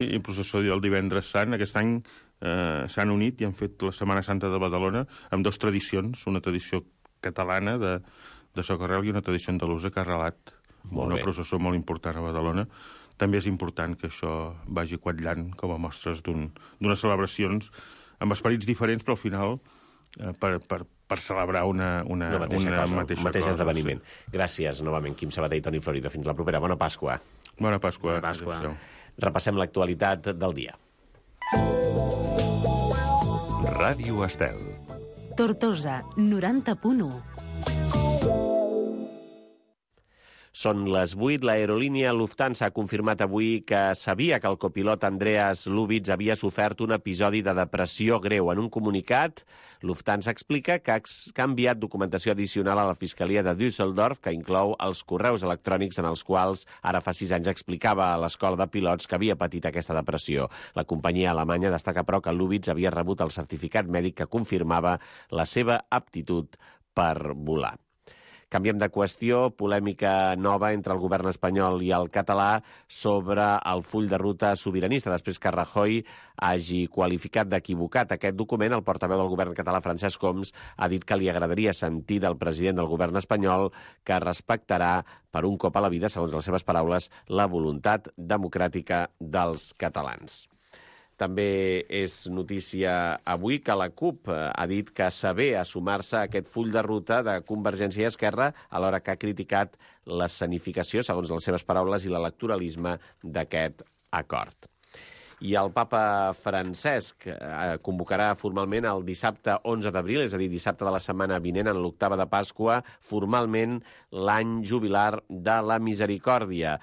I el processó el divendres sant. Aquest any s'han unit i han fet la Setmana Santa de Badalona amb dues tradicions, una tradició catalana de Socarrel i una tradició andalusa que ha arrelat una processó molt important a Badalona. També és important que això vagi quatllant com a mostres d'unes celebracions amb esperits diferents, però al final per celebrar una mateixa esdeveniment. Sí. Gràcies novament, Quim Sabater i Toni Florido. Fins la propera. Bona Pasqua. Bona Pasqua. Bona Pasqua. Repassem l'actualitat del dia. Ràdio Estel. Tortosa, 90.1. Són les 8. L'aerolínia Lufthansa ha confirmat avui que sabia que el copilot Andreas Lubitz havia sofert un episodi de depressió greu. En un comunicat, Lufthansa explica que ha enviat documentació addicional a la Fiscalia de Düsseldorf, que inclou els correus electrònics en els quals ara fa 6 anys explicava a l'escola de pilots que havia patit aquesta depressió. La companyia alemanya destaca, però, que Lubitz havia rebut el certificat mèdic que confirmava la seva aptitud per volar. Canviem de qüestió, polèmica nova entre el govern espanyol i el català sobre el full de ruta sobiranista. Després que Rajoy hagi qualificat d'equivocat aquest document, el portaveu del govern català, Francesc Homs, ha dit que li agradaria sentir del president del govern espanyol que respectarà per un cop a la vida, segons les seves paraules, la voluntat democràtica dels catalans. També és notícia avui que la CUP ha dit que s'avé a sumar-se a aquest full de ruta de Convergència i Esquerra, alhora que ha criticat l'escenificació, segons les seves paraules, i l'electoralisme d'aquest acord. I el papa Francesc convocarà formalment el dissabte 11 d'abril, és a dir, dissabte de la setmana vinent, en l'octava de Pasqua, formalment l'any jubilar de la Misericòrdia.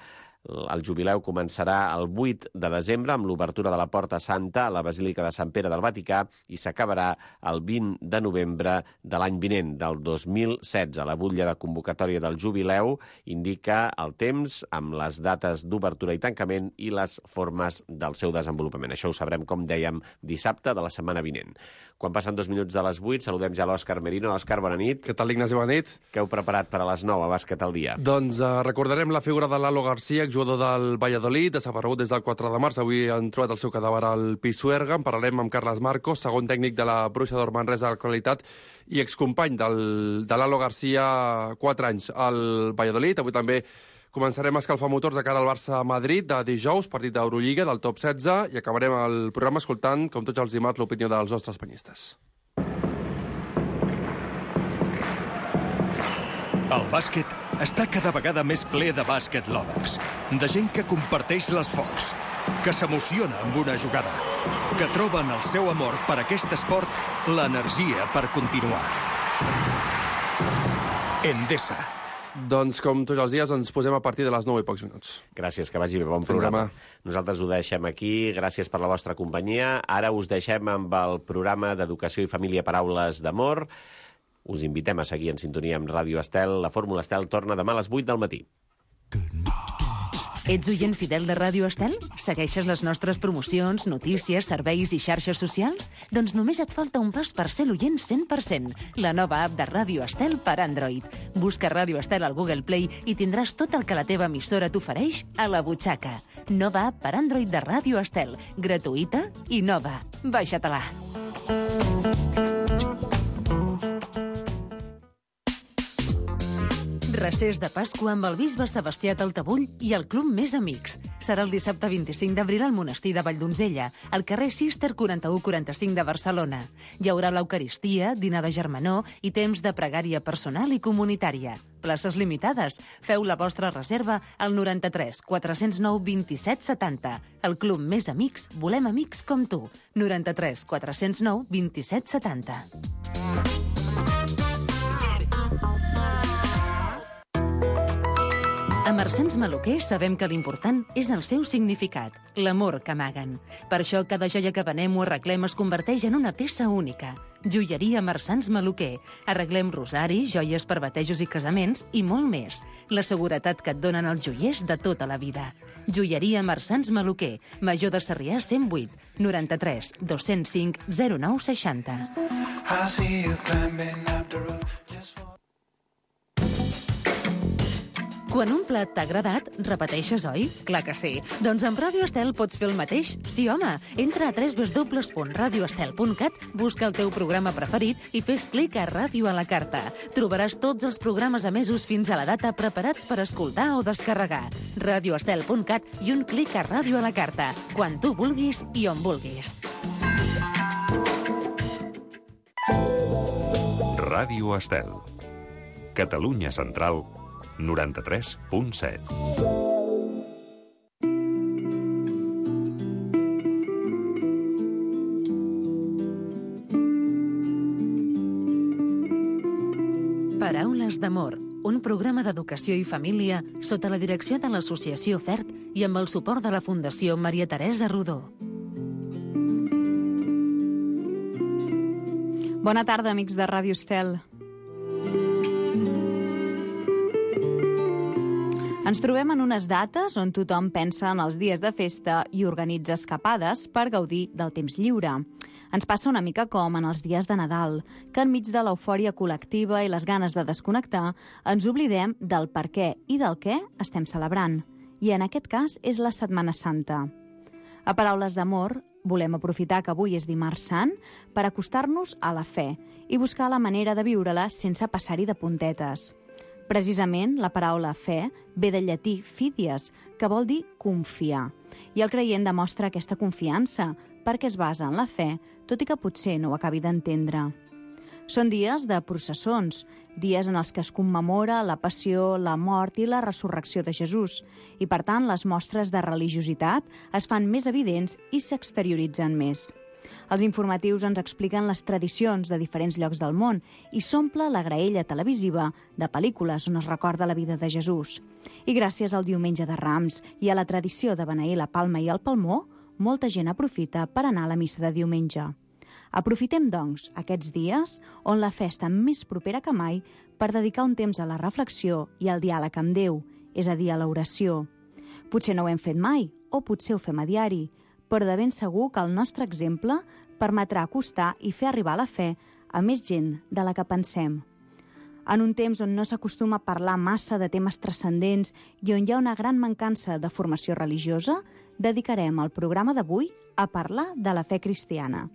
El jubileu començarà el 8 de desembre amb l'obertura de la Porta Santa a la Basílica de Sant Pere del Vaticà i s'acabarà el 20 de novembre de l'any vinent, del 2016. La butlla de convocatòria del jubileu indica el temps amb les dates d'obertura i tancament i les formes del seu desenvolupament. Això ho sabrem, com dèiem, dissabte de la setmana vinent. Quan passen 2 minuts de les 8, saludem ja l'Òscar Merino. Òscar, bona nit. Què tal, Ignasi? Bona nit. Què heu preparat per a les 9 a Bàsquet al dia? Doncs recordarem la figura de Lalo García, jugador del Valladolid, desaparegut des del 4 de març. Avui han trobat el seu cadàver al Pisuerga. En parlarem amb Carles Marcos, segon tècnic de la Bruixa d'Or Manresa de l'actualitat i excompany de Lalo García, 4 anys al Valladolid. Avui també començarem a escalfar motors de cara al Barça-Madrid de dijous, partit d'Eurolliga del top 16, i acabarem el programa escoltant, com tots els dimarts, l'opinió dels nostres penyistes. El bàsquet està cada vegada més ple de bàsquet lovers, de gent que comparteix l'esforç, que s'emociona amb una jugada, que troben el seu amor per aquest esport, l'energia per continuar. Endesa. Doncs, com tots els dies, ens posem a partir de les 9 i pocs minuts. Gràcies, que vagi bé, bon programa. Nosaltres ho deixem aquí, gràcies per la vostra companyia. Ara us deixem amb el programa d'Educació i Família Paraules d'Amor. Us invitem a seguir en sintonia amb Ràdio Estel. La Fórmula Estel torna demà a les 8 del matí. Ets oient fidel de Ràdio Estel? Segueixes les nostres promocions, notícies, serveis i xarxes socials? Doncs només et falta un pas per ser l'oient 100%. La nova app de Ràdio Estel per Android. Busca Ràdio Estel al Google Play i tindràs tot el que la teva emissora t'ofereix a la butxaca. Nova app per Android de Ràdio Estel. Gratuïta i nova. Baixa-te-la. Recés de Pasqua amb el bisbe Sebastià Taltabull i el Club Més Amics. Serà el dissabte 25 d'abril al monestir de Valldonzella, al carrer Cister 4145 de Barcelona. Hi haurà l'Eucaristia, dinar de germanor i temps de pregària personal i comunitària. Places limitades. Feu la vostra reserva al 93 409 27 70. El Club Més Amics, volem amics com tu. 93 409 27 70. A Marsans Maluquer sabem que l'important és el seu significat, l'amor que amaguen. Per això cada joia que venem o arreglem es converteix en una peça única. Joieria Marsans Maluquer. Arreglem rosaris, joies per batejos i casaments i molt més. La seguretat que et donen els joiers de tota la vida. Joieria Marsans Maluquer. Major de Sarrià 108 93 205 09 60. Quan un plat t'ha agradat, repeteixes, oi? Clar que sí. Doncs amb Ràdio Estel pots fer el mateix. Sí, home. Entra a www.radioestel.cat, busca el teu programa preferit i fes clic a Ràdio a la carta. Trobaràs tots els programes emesos fins a la data preparats per escoltar o descarregar. Radioestel.cat i un clic a Ràdio a la carta. Quan tu vulguis i on vulguis. Ràdio Estel. Catalunya Central, 93.7. Paraules d'amor, un programa d'educació i família sota la direcció de l'Associació FERT i amb el suport de la Fundació Maria Teresa Rodó. Bona tarda, amics de Ràdio Estel. Ens trobem en unes dates on tothom pensa en els dies de festa i organitza escapades per gaudir del temps lliure. Ens passa una mica com en els dies de Nadal, que enmig de l'eufòria col·lectiva i les ganes de desconnectar, ens oblidem del per què i del què estem celebrant. I en aquest cas és la Setmana Santa. A Paraules d'amor, volem aprofitar que avui és dimarts sant per acostar-nos a la fe i buscar la manera de viure-la sense passar-hi de puntetes. Precisament, la paraula fe ve del llatí fidies, que vol dir confiar. I el creient demostra aquesta confiança perquè es basa en la fe, tot i que potser no ho acabi d'entendre. Són dies de processons, dies en els que es commemora la passió, la mort i la resurrecció de Jesús, i per tant les mostres de religiositat es fan més evidents i s'exterioritzen més. Els informatius ens expliquen les tradicions de diferents llocs del món i s'omple la graella televisiva de pel·lícules on es recorda la vida de Jesús. I gràcies al Diumenge de Rams i a la tradició de beneir la palma i el palmó, molta gent aprofita per anar a la missa de diumenge. Aprofitem, doncs, aquests dies on la fe està més propera que mai per dedicar un temps a la reflexió i al diàleg amb Déu, és a dir, a l'oració. Potser no ho hem fet mai, o potser ho fem a diari, però de ben segur que el nostre exemple permetrà acostar i fer arribar la fe a més gent de la que pensem. En un temps on no s'acostuma a parlar massa de temes transcendents i on hi ha una gran mancança de formació religiosa, dedicarem el programa d'avui a parlar de la fe cristiana.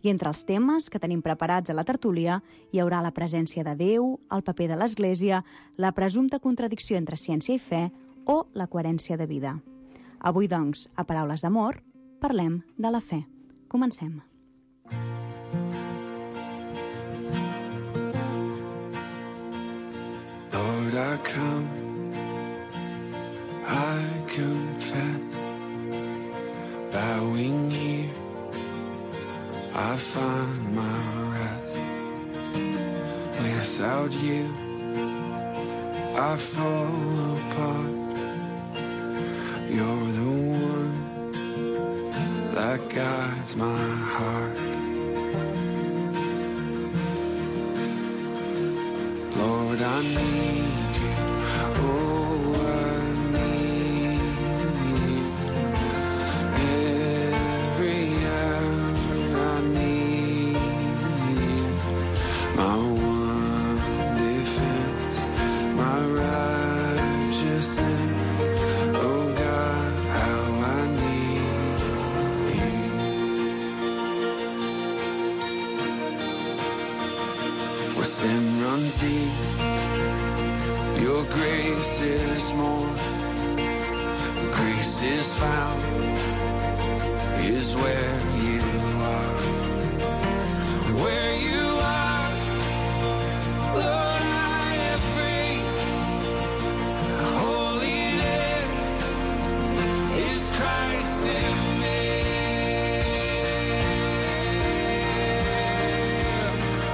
I entre els temes que tenim preparats a la tertúlia hi haurà la presència de Déu, el paper de l'Església, la presumpta contradicció entre ciència i fe o la coherència de vida. Avui, doncs, a Paraules d'amor, parlem de la fe. Comencem. Lord, I come, I confess, bowing here, I find my rest. Without you, I fall apart. You're the one that guides my heart. Lord, I need you. Oh, I need you. Every hour I need you. My one defense, my righteousness. Oh God, how I need you. Where sin runs deep, your grace is more. Grace is found, is where you are. Where you are, Lord, I am free. Holiness is Christ in me.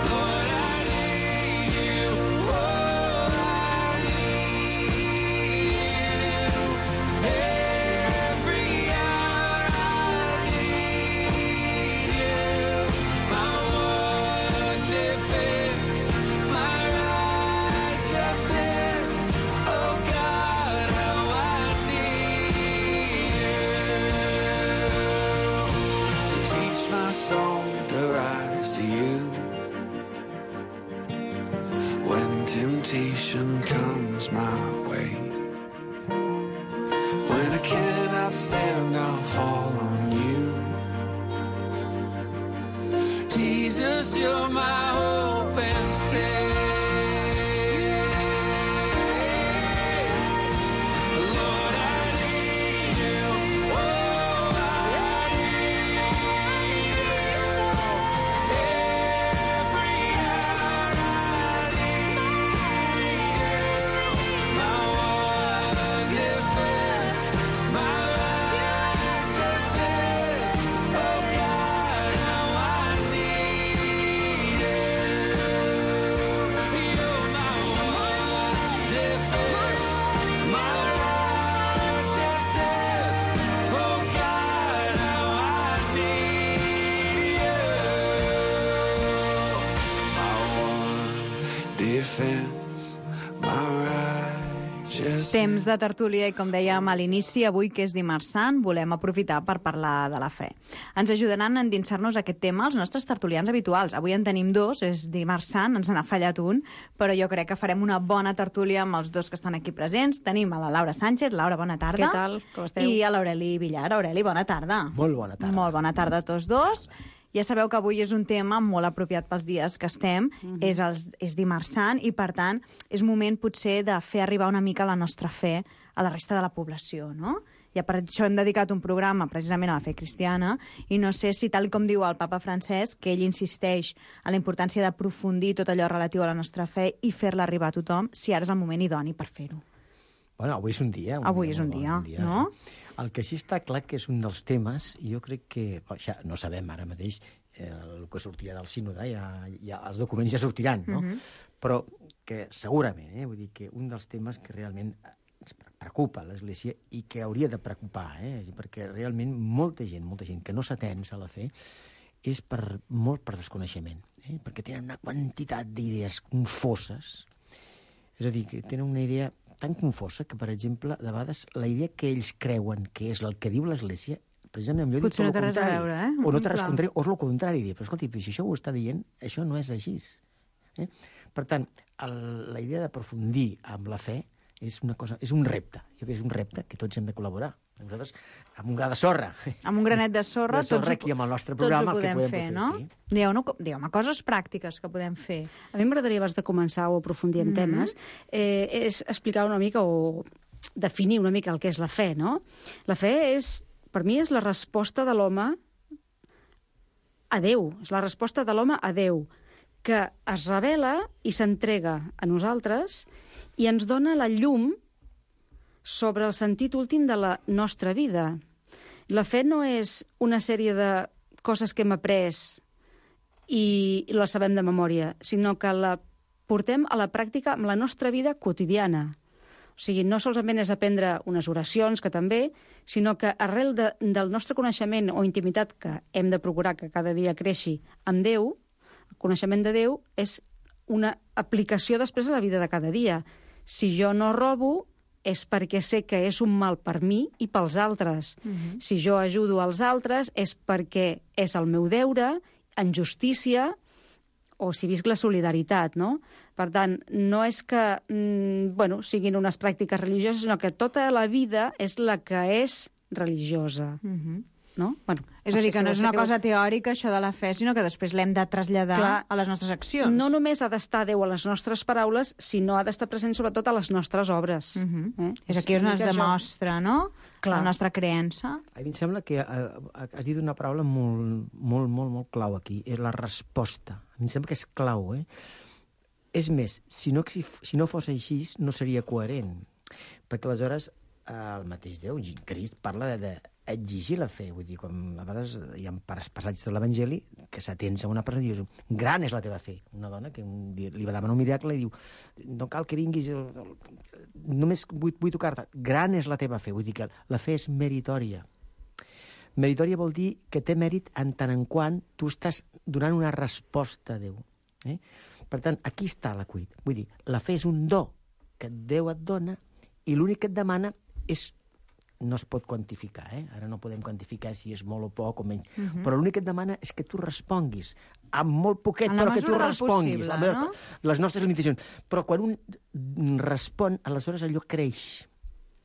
Lord, I need you. Oh, I need you. Every hour I need you. My one defense, my righteousness. Oh God, how I need you. To teach my soul to rise to you. When temptation comes my way, cannot stand, I'll fall on you. Jesus, you're my hope and stay. Temps de tertúlia i, com dèiem a l'inici, avui que és dimarts sant, volem aprofitar per parlar de la fe. Ens ajudaran a endinsar-nos a aquest tema els nostres tertulians habituals. Avui en tenim dos, és dimarts sant, ens n'ha fallat un, però jo crec que farem una bona tertúlia amb els dos que estan aquí presents. Tenim a la Laura Sánchez. Laura, bona tarda. Què tal? Com esteu? I a l'Aureli Villar. Aureli, bona tarda. Molt bona tarda. Molt bona tarda a tots dos. Ja sabeu que avui és un tema molt apropiat pels dies que estem, és dimarts sant i, per tant, és moment potser de fer arribar una mica la nostra fe a la resta de la població, no? Ja per això hem dedicat un programa precisament a la fe cristiana i no sé si, tal com diu el papa Francesc, que ell insisteix a la importància d'aprofundir tot allò relatiu a la nostra fe i fer-la arribar a tothom, si ara és el moment idoni per fer-ho. Bueno, avui és un dia. Avui és un dia, no? El que sí està clar que és un dels temes, i jo crec que, ja no sabem ara mateix el que sortirà del sínode, ja els documents ja sortiran, no? Però que segurament, vull dir que un dels temes que realment ens preocupa a l'Església i que hauria de preocupar, perquè realment molta gent que no s'atens a la fe és molt per desconeixement, perquè tenen una quantitat d'idees confoses, és a dir, que tenen una idea tan confosa que, per exemple, de vegades la idea que ells creuen que és el que diu l'Església, precisament millor potser no té res a veure, o no té res contrari, o és el contrari, però escolti, si això ho està dient, això no és així. Per tant, la idea d'aprofundir amb la fe és una cosa, és un repte. Jo crec que és un repte que tots hem de col·laborar. Nosaltres, amb un gra de sorra. Amb un granet de sorra, tots aquí amb el nostre programa, tots ho podem fer, no? Sí. Digueu-me coses pràctiques que podem fer. A mi m'agradaria, abans de començar o aprofundir en temes, és explicar una mica o definir una mica el que és la fe, no? La fe per mi és la resposta de l'home a Déu, és la resposta de l'home a Déu, que es revela i s'entrega a nosaltres i ens dona la llum sobre el sentit últim de la nostra vida. La fe no és una sèrie de coses que hem après i les sabem de memòria, sinó que la portem a la pràctica amb la nostra vida quotidiana. O sigui, no solament és aprendre unes oracions, que també, sinó que arrel del nostre coneixement o intimitat que hem de procurar que cada dia creixi amb Déu, el coneixement de Déu és una aplicació després a la vida de cada dia. Si jo no robo, és perquè sé que és un mal per mi i pels altres. Si jo ajudo als altres és perquè és el meu deure, en justícia, o si visc la solidaritat, no? Per tant, no és que siguin unes pràctiques religioses, sinó que tota la vida és la que és religiosa. No? És a dir, que no és una cosa teòrica, això de la fe, sinó que després l'hem de traslladar a les nostres accions. No només ha d'estar Déu a les nostres paraules, sinó ha d'estar present sobretot a les nostres obres. És aquí on es demostra, no? La nostra creença. A mi em sembla que has dit una paraula molt clau aquí, és la resposta. A mi em sembla que és clau, És més, si no fos així, no seria coherent. Perquè aleshores el mateix Déu, Crist, parla d'exigir la fe. Vull dir, com a vegades hi ha passatges de l'Evangeli que s'atens a una persona i dius, gran és la teva fe. Una dona que un dia li va demanar un miracle i diu, no cal que vinguis, només vull tocar-te. Gran és la teva fe. Vull dir que la fe és meritòria. Meritòria vol dir que té mèrit en tant en quant tu estàs donant una resposta a Déu. Per tant, aquí està la cuit. Vull dir, la fe és un do que Déu et dona i l'únic que et demana no es pot quantificar, Ara no podem quantificar si és molt o poc o menys, però l'únic que et demana és que tu responguis, amb molt poquet, però que tu responguis, no? Les nostres limitacions. Però quan un respon, aleshores allò creix,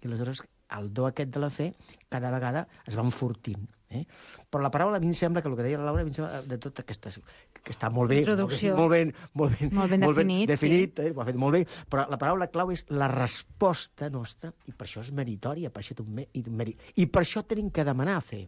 i aleshores el do aquest de la fe cada vegada es va enfortint. Però la paraula, a mi em sembla que el que deia la Laura, a mi em sembla de tot que està molt bé, molt ben definit, ho ha fet molt bé, però la paraula clau és la resposta nostra, i per això és meritòria, per això té un mèrit. I per això tenim que demanar a fer.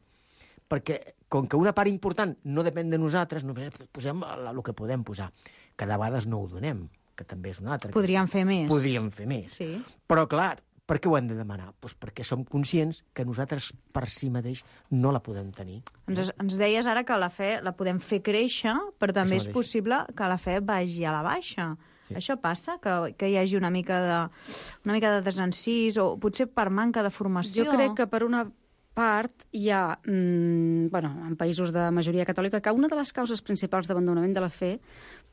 Perquè, com que una part important no depèn de nosaltres, només posem el que podem posar. Que de vegades no ho donem, que també és una altra. Podríem fer més. Podríem fer més. Sí. Però, clar, per què ho hem de demanar? Doncs perquè som conscients que nosaltres per si mateix no la podem tenir. Ens deies ara que la fe la podem fer créixer, però també és possible que la fe vagi a la baixa. Sí. Això passa? Que hi hagi una mica de desencís, o potser per manca de formació? Jo crec que per una part hi ha, en països de majoria catòlica, que una de les causes principals d'abandonament de la fe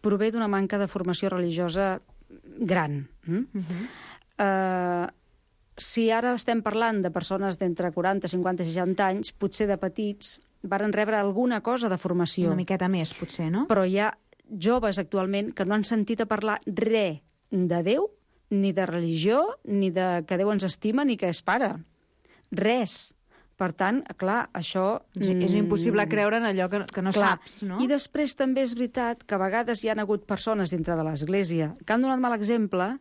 prové d'una manca de formació religiosa gran. Si ara estem parlant de persones d'entre 40, 50 i 60 anys, potser de petits varen rebre alguna cosa de formació. Una miqueta més, potser, no? Però hi ha joves actualment que no han sentit a parlar res de Déu, ni de religió, ni de que Déu ens estima, ni que és pare. Res. Per tant, clar, això... És impossible creure en allò que no saps, no? I després també és veritat que a vegades hi ha hagut persones dintre de l'Església que han donat mal exemple,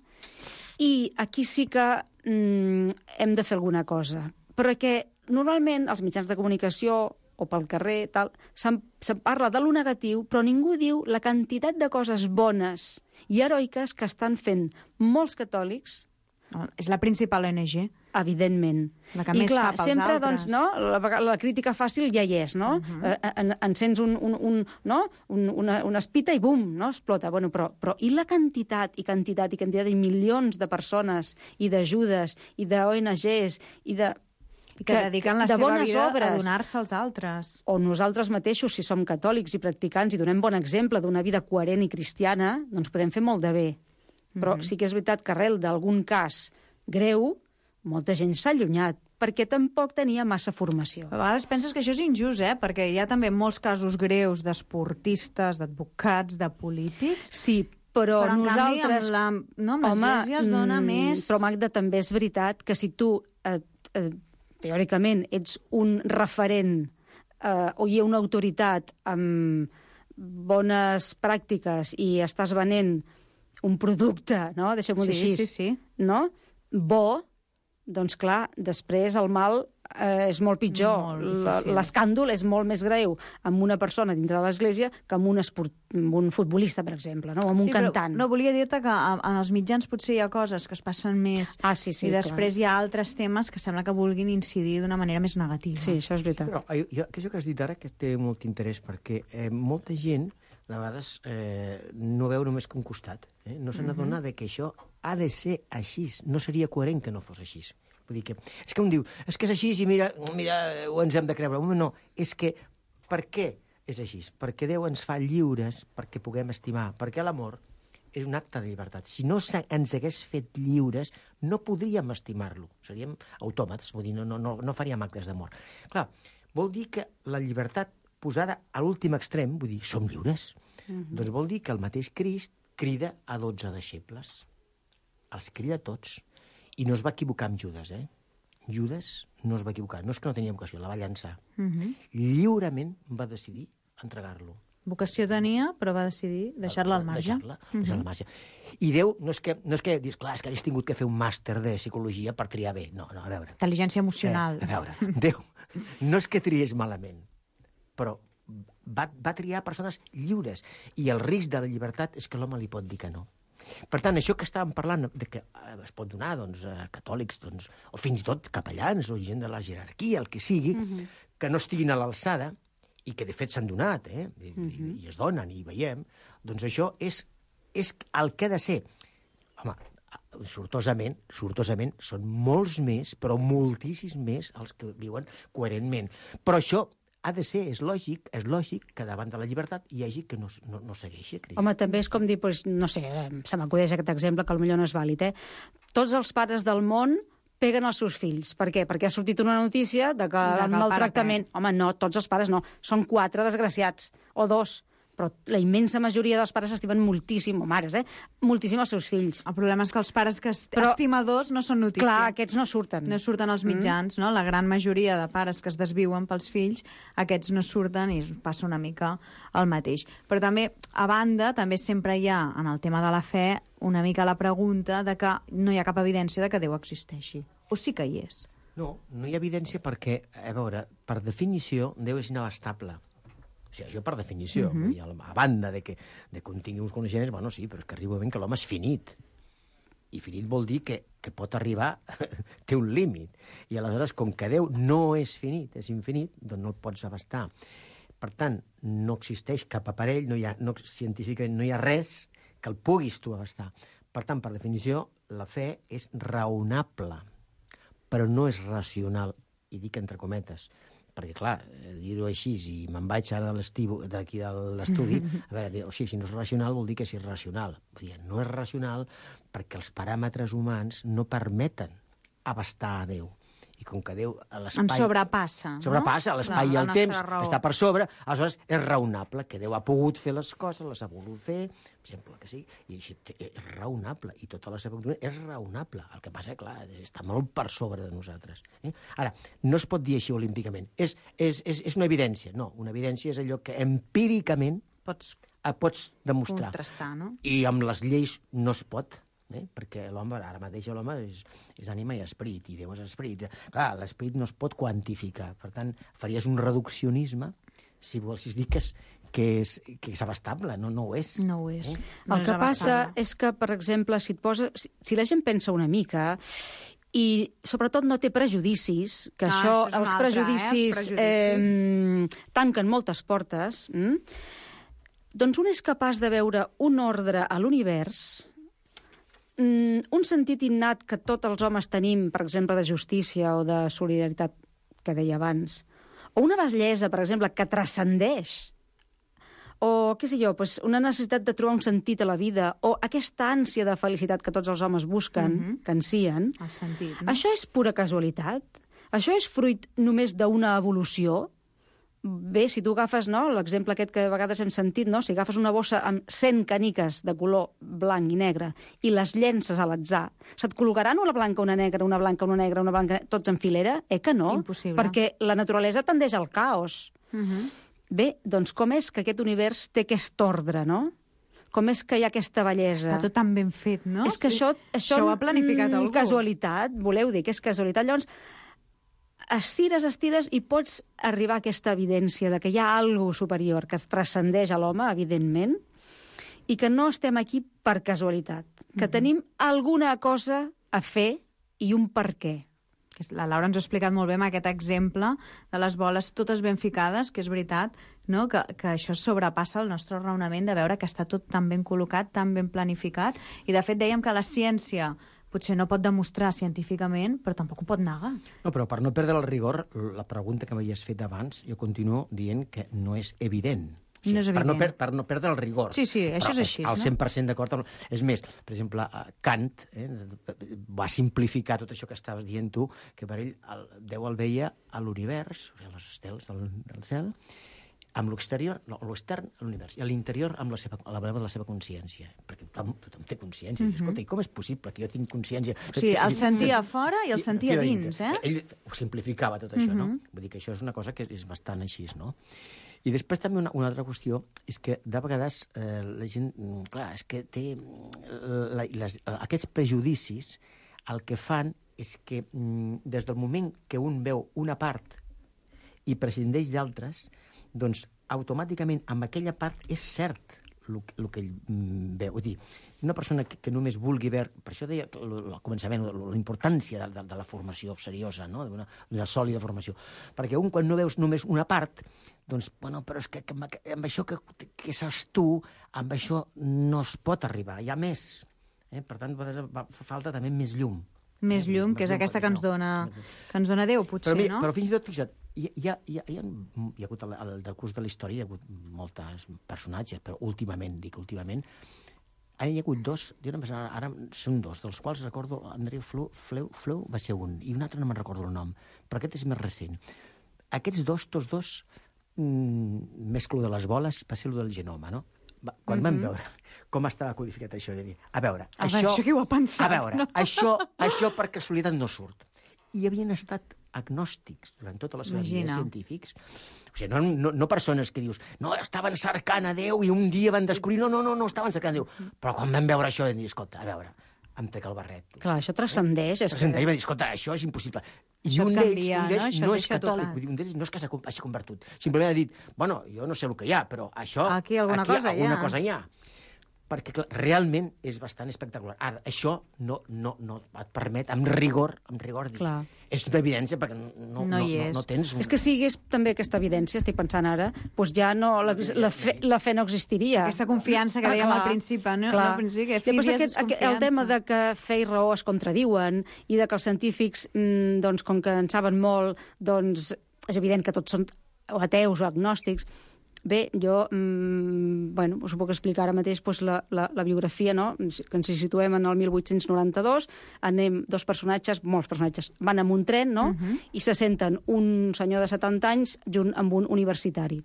i aquí sí que hem de fer alguna cosa. Perquè normalment als mitjans de comunicació o pel carrer tal, se'n parla de lo negatiu, però ningú diu la quantitat de coses bones i heroiques que estan fent molts catòlics. És la principal ONG. Evidentment. La que més fa pels sempre, altres. doncs, no, la crítica fàcil ja hi és, no? Encens una espita i bum, no? Explota. Bueno, però i la quantitat i milions de persones i d'ajudes i d'ONGs i de... que dediquen la seva vida obres, a donar-se als altres. O nosaltres mateixos, si som catòlics i practicants i donem bon exemple d'una vida coherent i cristiana, doncs podem fer molt de bé. Però sí que és veritat que arrel d'algun cas greu, molta gent s'ha allunyat, perquè tampoc tenia massa formació. A vegades penses que això és injust, perquè hi ha també molts casos greus d'esportistes, d'advocats, de polítics. Sí, però en nosaltres... canvi, amb l'Església es dona més... Però, Magda, també és veritat que si tu, teòricament, ets un referent o hi ha una autoritat amb bones pràctiques i estàs venent un producte, no? Deixem-ho dir així. Sí. No? Bo, doncs clar, després el mal és molt pitjor. L'escàndol és molt més greu amb una persona dintre de l'Església que amb un futbolista, per exemple, no? O amb un cantant. No, volia dir-te que en els mitjans potser hi ha coses que es passen més i després hi ha altres temes que sembla que vulguin incidir d'una manera més negativa. Sí, això és veritat. Però això que has dit ara que té molt interès, perquè molta gent de vegades no veu només que un costat. No se n'adona que això ha de ser així. No seria coherent que no fos així. Vull dir que... És que un diu, és que és així i mira, ho ens hem de creure. No, és que per què és així? Perquè Déu ens fa lliures perquè puguem estimar. Perquè l'amor és un acte de llibertat. Si no ens hagués fet lliures, no podríem estimar-lo. Seríem autòmats, vull dir, no faríem actes d'amor. Clar, vol dir que la llibertat posada a l'últim extrem, vull dir, som lliures. Doncs vol dir que el mateix Crist crida a 12 deixebles. Els crida a tots. I no es va equivocar amb Judes, Judes no es va equivocar. No és que no tenia vocació, la va llançar. Lliurement va decidir entregar-lo. Vocació tenia, però va decidir deixar-la al marge. Deixar-la al marge. I Déu no és que dius, clar, és que hagués tingut que fer un màster de psicologia per triar bé. No, a veure. Intel·ligència emocional. A veure, Déu no és que triés malament, però va triar persones lliures. I el risc de la llibertat és que l'home li pot dir que no. Per tant, això que estàvem parlant, de que es pot donar a catòlics, o fins i tot capellans, o gent de la jerarquia, el que sigui, que no estiguin a l'alçada, i que de fet s'han donat, i es donen, i veiem, doncs això és el que ha de ser. Home, sortosament, són molts més, però moltíssims més els que viuen coherentment. Però això ha de ser, és lògic que davant de la llibertat hi hagi que no segueixi Crist. Home, també és com dir, no sé, se m'acudeix aquest exemple, que potser no és vàlid, Tots els pares del món peguen els seus fills. Per què? Perquè ha sortit una notícia de que el maltractament... Home, no, tots els pares no. Són 4 desgraciats, o 2. però la immensa majoria dels pares estimen moltíssim, o mares, moltíssim els seus fills. El problema és que els pares estimadors no són notícia. Clar, aquests no surten. No surten als mitjans, no? La gran majoria de pares que es desviuen pels fills, aquests no surten i passa una mica el mateix. Però també, a banda, també sempre hi ha, en el tema de la fe, una mica la pregunta de que no hi ha cap evidència de que Déu existeixi. O sí que hi és? No, no hi ha evidència perquè, a veure, per definició, Déu és inabastable. O sigui, això per definició. Vull dir, a banda de que un tingui uns coneixements, bueno, sí, però és que arriba un moment que l'home és finit. I finit vol dir que pot arribar, té un límit. I aleshores, com que Déu no és finit, és infinit, doncs no el pots abastar. Per tant, no existeix cap aparell, científicament no hi ha res que el puguis tu abastar. Per tant, per definició, la fe és raonable, però no és racional, i dic entre cometes, perquè, clar, dir-ho així, i me'n vaig ara d'aquí de l'estudi, a veure, o sigui, si no és racional vol dir que és irracional. Vull dir, no és racional perquè els paràmetres humans no permeten abastar a Déu. I com que Déu a l'espai... Em sobrepassa, no? Sobrepassa, l'espai i el temps, està per sobre, aleshores és raonable, que Déu ha pogut fer les coses, les ha volgut fer, exemple que sí, i així és raonable, i tota la seva doctrina és raonable. El que passa, clar, està molt per sobre de nosaltres. Ara, no es pot dir així olímpicament. És una evidència. No, una evidència és allò que empíricament pots demostrar. Contrastar, no? I amb les lleis no es pot. Perquè l'home, ara mateix l'home és ànima i esperit, i Déu és esperit. Clar, l'esperit no es pot quantificar. Per tant, faries un reduccionisme si volessis dir que és abastable. No ho és. No ho és. El que passa és que, per exemple, si la gent pensa una mica i sobretot no té prejudicis, que això els prejudicis tanquen moltes portes, doncs un és capaç de veure un ordre a l'univers, un sentit innat que tots els homes tenim, per exemple, de justícia o de solidaritat, que deia abans, o una bellesa, per exemple, que transcendeix, o, què sé jo, una necessitat de trobar un sentit a la vida, o aquesta ànsia de felicitat que tots els homes busquen, que ansien, el sentit, no? Això és pura casualitat? Això és fruit només d'una evolució? Bé, si tu agafes l'exemple aquest que a vegades hem sentit, si agafes una bossa amb 100 caniques de color blanc i negre i les llences a l'atzar, se't col·locaran una blanca, una negra, una blanca, una negra, una blanca, tots en filera? Que no. Impossible. Perquè la naturalesa tendeix al caos. Bé, doncs com és que aquest univers té aquest ordre, no? Com és que hi ha aquesta bellesa? Està tot tan ben fet, no? És que això ho ha planificat algú. Casualitat, voleu dir que és casualitat. Llavors, estires i pots arribar a aquesta evidència de que hi ha alguna superior que transcendeix a l'home, evidentment, i que no estem aquí per casualitat, que tenim alguna cosa a fer i un per què. La Laura ens ha explicat molt bé amb aquest exemple de les boles totes ben ficades, que és veritat, no? que això sobrepassa el nostre raonament de veure que està tot tan ben col·locat, tan ben planificat, i de fet dèiem que la ciència potser no pot demostrar científicament, però tampoc ho pot negar. No, però per no perdre el rigor, la pregunta que m'havies fet abans, jo continuo dient que no és evident. O sigui, no és evident. Per no perdre el rigor. Sí, això és així. Al 100% d'acord. És més, per exemple, Kant va simplificar tot això que estaves dient tu, que per ell Déu el veia a l'univers, o sigui, les estels del cel, amb l'exterior, l'extern, l'univers, i a l'interior amb la veu de la seva consciència. Perquè tothom té consciència. Escolta, i com és possible que jo tinc consciència? O sigui, el sentia fora i el sentia dins, eh? Ell ho simplificava tot això, no? Vull dir que això és una cosa que és bastant així, no? I després també una altra qüestió és que de vegades la gent, clar, és que té aquests prejudicis, el que fan és que des del moment que un veu una part i prescindeix d'altres, doncs automàticament amb aquella part és cert el que ell veu. Vull dir, una persona que només vulgui veure... Per això deia al començament la importància de la formació seriosa, no? D'una sòlida formació. Perquè quan no veus només una part, doncs, bueno, però és que amb això que saps tu, amb això no es pot arribar, hi ha més. Per tant, fa falta també més llum. Més llum, que és aquesta que ens dona Déu, potser, no? Però fins i tot, fixa't, hi ha hagut al decurs de la història, hi ha hagut molts personatges, però últimament, hi ha hagut dos, ara són dos, dels quals recordo Andreu Fleu va ser un, i un altre no me'n recordo el nom, però aquest és més recent. Aquests dos, tots dos, més que el de les boles, va ser el del genoma, no? Quan vam veure com estava codificat això, de dir, a veure, això qui ho ha pensat? A veure, això per casualitat no surt. I havien estat agnòstics durant tota la seva vida, científics. O sigui, no persones que dius, no, estaven cercant a Déu i un dia van descobrir... No, estaven cercant a Déu. Però quan vam veure això vam dir, escolta, a veure, em trec el barret. Clar, això transcendeix. Transcendeix, va dir, escolta, això és impossible. I un d'ells no és catòlic, un d'ells no és que s'hagi convertit. Simplement ha dit, bueno, jo no sé el que hi ha, però això... Aquí alguna cosa hi ha. Perquè clar, realment és bastant espectacular. Ara, això no et permet, amb rigor dir. Clar. És d'evidència, perquè no tens... És que si hi hagués també aquesta evidència, estic pensant ara, doncs ja no, la fe no existiria. Aquesta confiança que dèiem al principi, no? Clar. Al principi, que el tema de que fe i raó es contradiuen i de que els científics, doncs, com que en saben molt, doncs és evident que tots són o ateus o agnòstics. Bé, jo, us ho puc explicar ara mateix, doncs, la biografia, no? Que ens situem en el 1892, molts personatges, van amb un tren, no? I se senten un senyor de 70 anys junt amb un universitari.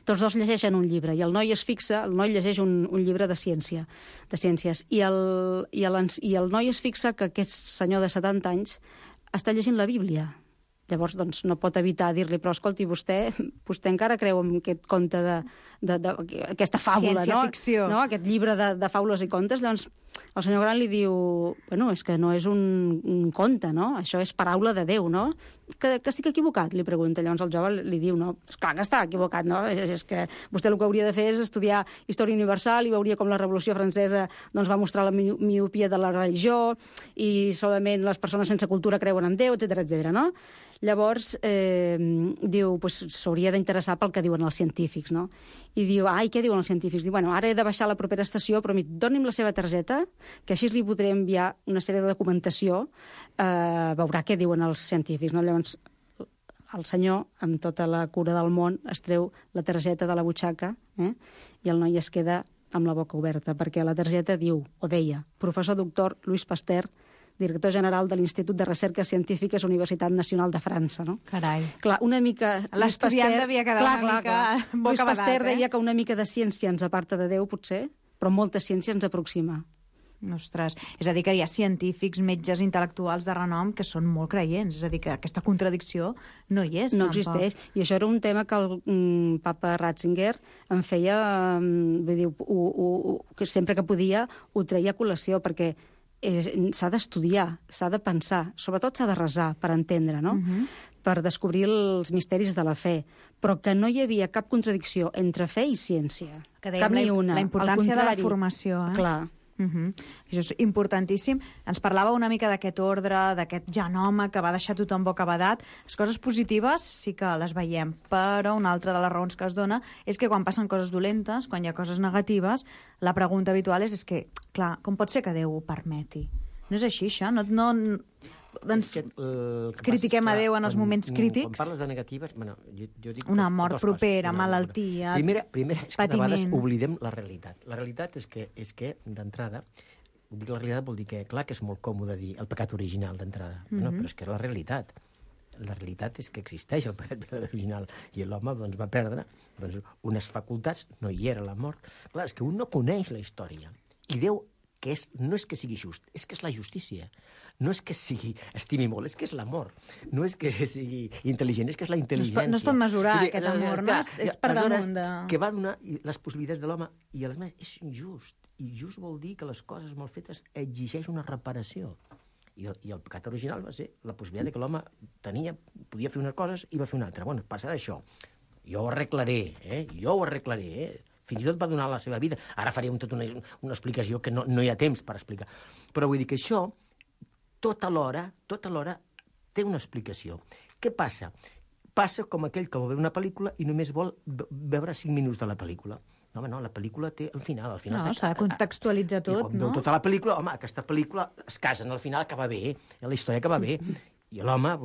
Tots dos llegeixen un llibre, i el noi llegeix un llibre de ciències, i el noi es fixa que aquest senyor de 70 anys està llegint la Bíblia. Llavors, doncs, no pot evitar dir-li, però escolti, vostè encara creu en aquest conte aquesta fàbula, no? Ciència-ficció. No? Aquest llibre de faules i contes. Llavors, el senyor gran li diu, bueno, és que no és un conte, no? Això és paraula de Déu, no? Que estic equivocat, li pregunta. Llavors el jove li diu, no, esclar que està equivocat, no? És que vostè el que hauria de fer és estudiar història universal i veuria com la Revolució Francesa doncs, va mostrar la miopia de la religió i solament les persones sense cultura creuen en Déu, etc., no? Llavors, diu, s'hauria d'interessar pel que diuen els científics, no? I diu, què diuen els científics? Diu, bueno, ara he de baixar a la propera estació, però doni'm la seva targeta, que així li podré enviar una sèrie de documentació, veurà què diuen els científics, no? Llavors, el senyor, amb tota la cura del món, es treu la targeta de la butxaca, i el noi es queda amb la boca oberta, perquè la targeta diu, o deia, professor doctor Louis Pasteur, director general de l'Institut de Recerques Científiques Universitat Nacional de França, no? Carai. Clar, una mica... L'estudiant devia quedar una mica bocabadat, Louis Pasteur deia que una mica de ciència ens aparta de Déu, potser, però molta ciència ens aproxima. Ostres, és a dir, que hi ha científics, metges, intel·lectuals de renom que són molt creients, és a dir, que aquesta contradicció no hi és. No existeix, i això era un tema que el papa Ratzinger en feia, vull dir, que sempre que podia ho treia a col·lació, perquè s'ha d'estudiar, s'ha de pensar, sobretot s'ha de resar per entendre, no? Per descobrir els misteris de la fe, però que no hi havia cap contradicció entre fe i ciència. Que dèiem cap ni una. La importància de la formació. Clar. Això és importantíssim. Ens parlava una mica d'aquest ordre, d'aquest genoma que va deixar tothom bocabadat. Les coses positives sí que les veiem, però una altra de les raons que es dona és que quan passen coses dolentes, quan hi ha coses negatives, la pregunta habitual és que, clar, com pot ser que Déu ho permeti? No és així, això? Critiquem a Déu en els moments crítics? Quan parles de negatives, jo dic... Una mort propera, malaltia, Primer és que de vegades oblidem la realitat. La realitat és que d'entrada, dic la realitat vol dir que, clar que és molt còmode dir el pecat original d'entrada, però és que és la realitat. La realitat és que existeix el pecat original i l'home va perdre unes facultats, no hi era la mort. Clar, és que un no coneix la història. I Déu no és que sigui just, és que és la justícia. No és que estimi molt, és que és l'amor. No és que sigui intel·ligent, és que és la intel·ligència. No es pot mesurar aquest amor, no? És per damunt de... Que va donar les possibilitats de l'home i a les més és injust. I just vol dir que les coses mal fetes exigeix una reparació. I el pecat original va ser la possibilitat que l'home podia fer unes coses i va fer una altra. Bueno, passarà això. Jo ho arreglaré, Fins i tot va donar la seva vida. Ara farem tota una explicació que no hi ha temps per explicar. Però vull dir que això, tota l'hora, té una explicació. Què passa? Passa com aquell que vol veure una pel·lícula i només vol veure 5 minuts de la pel·lícula. No, la pel·lícula té el final. No, s'ha de contextualitzar tot, no? I quan veu tota la pel·lícula, aquesta pel·lícula es casen, al final acaba bé, la història acaba bé. I l'home,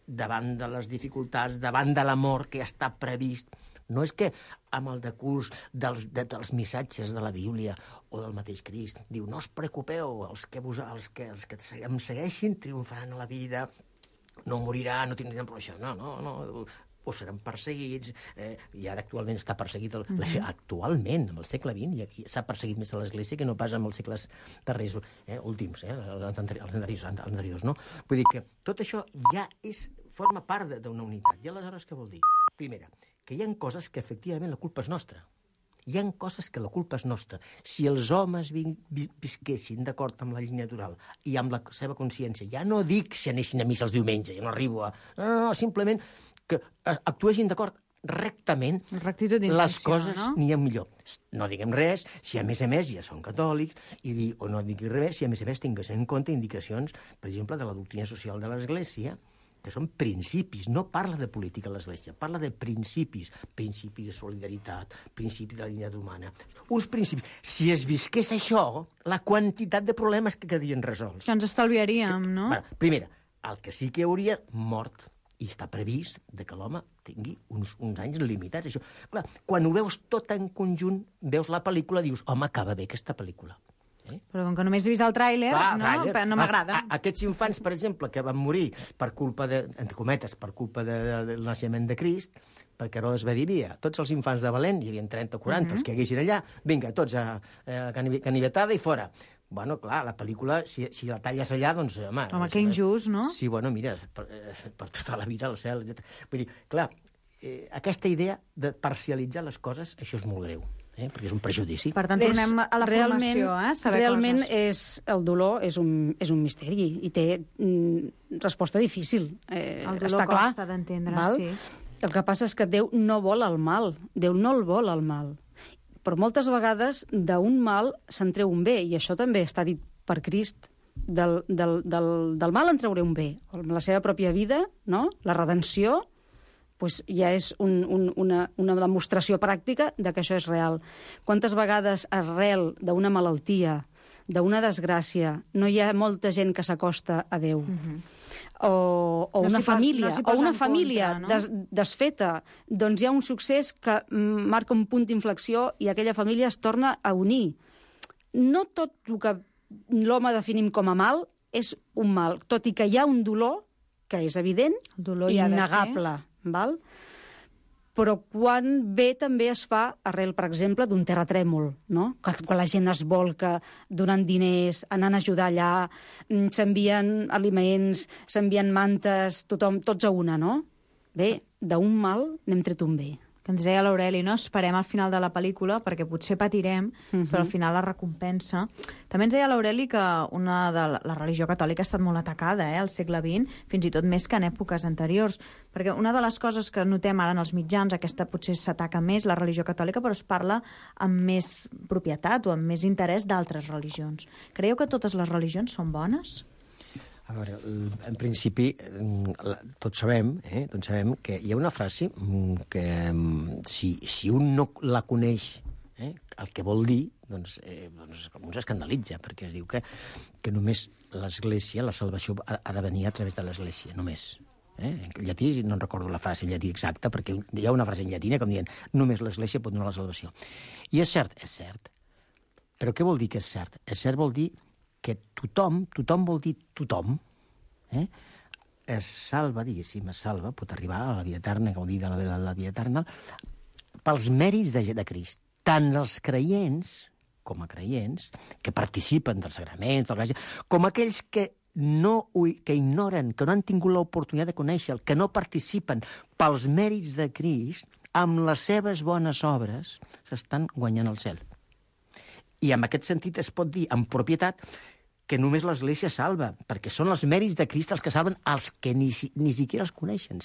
davant de les dificultats, davant de l'amor que ja està previst, no és que amb el decurs dels missatges de la Bíblia o del mateix Crist diu, no us preocupeu, els que em segueixin triomfaran a la vida, no moriran, no tindran por això. No. o seran perseguits, i ara actualment està perseguit, actualment, en el segle XX, s'ha perseguit més a l'Església que no pas en els segles darrers, últims, els anteriors, no? Vull dir que tot això ja forma part d'una unitat. I aleshores què vol dir? Primera, que hi ha coses que efectivament la culpa és nostra. Hi ha coses que la culpa és nostra. Si els homes visquessin d'acord amb la llei natural i amb la seva consciència, ja no dic si anessin a missa els diumenges, ja no arribo a... No, simplement que actuessin d'acord rectament, les coses n'hi ha millor. No diguem res si a més ja són catòlics, o no diguem res si a més tingués en compte indicacions, per exemple, de la doctrina social de l'Església, que són principis, no parla de política a l'Església, parla de principis, principi de solidaritat, principi de la dignitat humana, uns principis. Si es visqués això, la quantitat de problemes que quedarien resolts. Que ens estalviaríem, no? Primera, el que sí que hauria mort, i està previst que l'home tingui uns anys limitats. Això. Clar, quan ho veus tot en conjunt, veus la pel·lícula, dius, home, acaba bé aquesta pel·lícula. Però com que només he vist el tràiler, no m'agrada. Aquests infants, per exemple, que van morir per culpa entre cometes, per culpa del naixement de Crist, perquè Herodes va dir, tots els infants de Belén, hi havia 30 o 40, els que haguessin allà, vinga, tots a canivetada i fora. Bueno, clar, la pel·lícula, si la talles allà, doncs, home... Home, que injust, no? Sí, bueno, mira, per tota la vida al cel, etc. Vull dir, clar, aquesta idea de parcialitzar les coses, això és molt greu. Perquè és un prejudici. Per tant, tornem a la formació, saber realment coses. El dolor és un misteri i té resposta difícil. El dolor costa d'entendre, sí. El que passa és que Déu no vol el mal. Déu no el vol el mal. Però moltes vegades d'un mal se'n treu un bé, i això també està dit per Crist. Del mal en treuré un bé. Amb la seva pròpia vida, no? La redenció, pues ja és una demostració pràctica de que això és real. Quantes vegades arrel d'una malaltia, d'una desgràcia, no hi ha molta gent que s'acosta a Déu? O una família desfeta, doncs hi ha un succés que marca un punt d'inflexió i aquella família es torna a unir. No tot el que l'home definim com a mal és un mal, tot i que hi ha un dolor que és evident i innegable. Val? Però quan bé també es fa arrel, per exemple, d'un terratrèmol, no? Quan la gent es volca donant diners, anant a ajudar allà, s'envien aliments, s'envien mantes, tothom, tots a una, no? Bé, d'un mal n'hem tret un bé. Que ens deia l'Aureli, no? Esperem al final de la pel·lícula perquè potser patirem, però al final la recompensa. També ens deia l'Aureli que la religió catòlica ha estat molt atacada al segle XX, fins i tot més que en èpoques anteriors, perquè una de les coses que notem ara en els mitjans, aquesta potser s'ataca més, la religió catòlica, però es parla amb més propietat o amb més interès d'altres religions. Creieu que totes les religions són bones? A veure, en principi, tots sabem que hi ha una frase que si un no la coneix, el que vol dir, doncs un s'escandalitza, perquè es diu que només l'Església, la salvació ha de venir a través de l'Església, només. En llatí, no en recordo la frase en llatí exacta, perquè hi ha una frase en llatina com dient només l'Església pot donar la salvació. I és cert. Però què vol dir que és cert? És cert vol dir que tothom vol dir tothom, es salva, pot arribar a la vida eterna, gaudir de la vida eterna, pels mèrits de Crist. Tant els creients, com a creients, que participen dels sagraments, de la gràcia, com aquells que ignoren, que no han tingut l'oportunitat de conèixer, que no participen pels mèrits de Crist, amb les seves bones obres, s'estan guanyant el cel. I en aquest sentit es pot dir, amb propietat, que només l'Església salva, perquè són els mèrits de Crist els que salven els que ni siquiera els coneixen,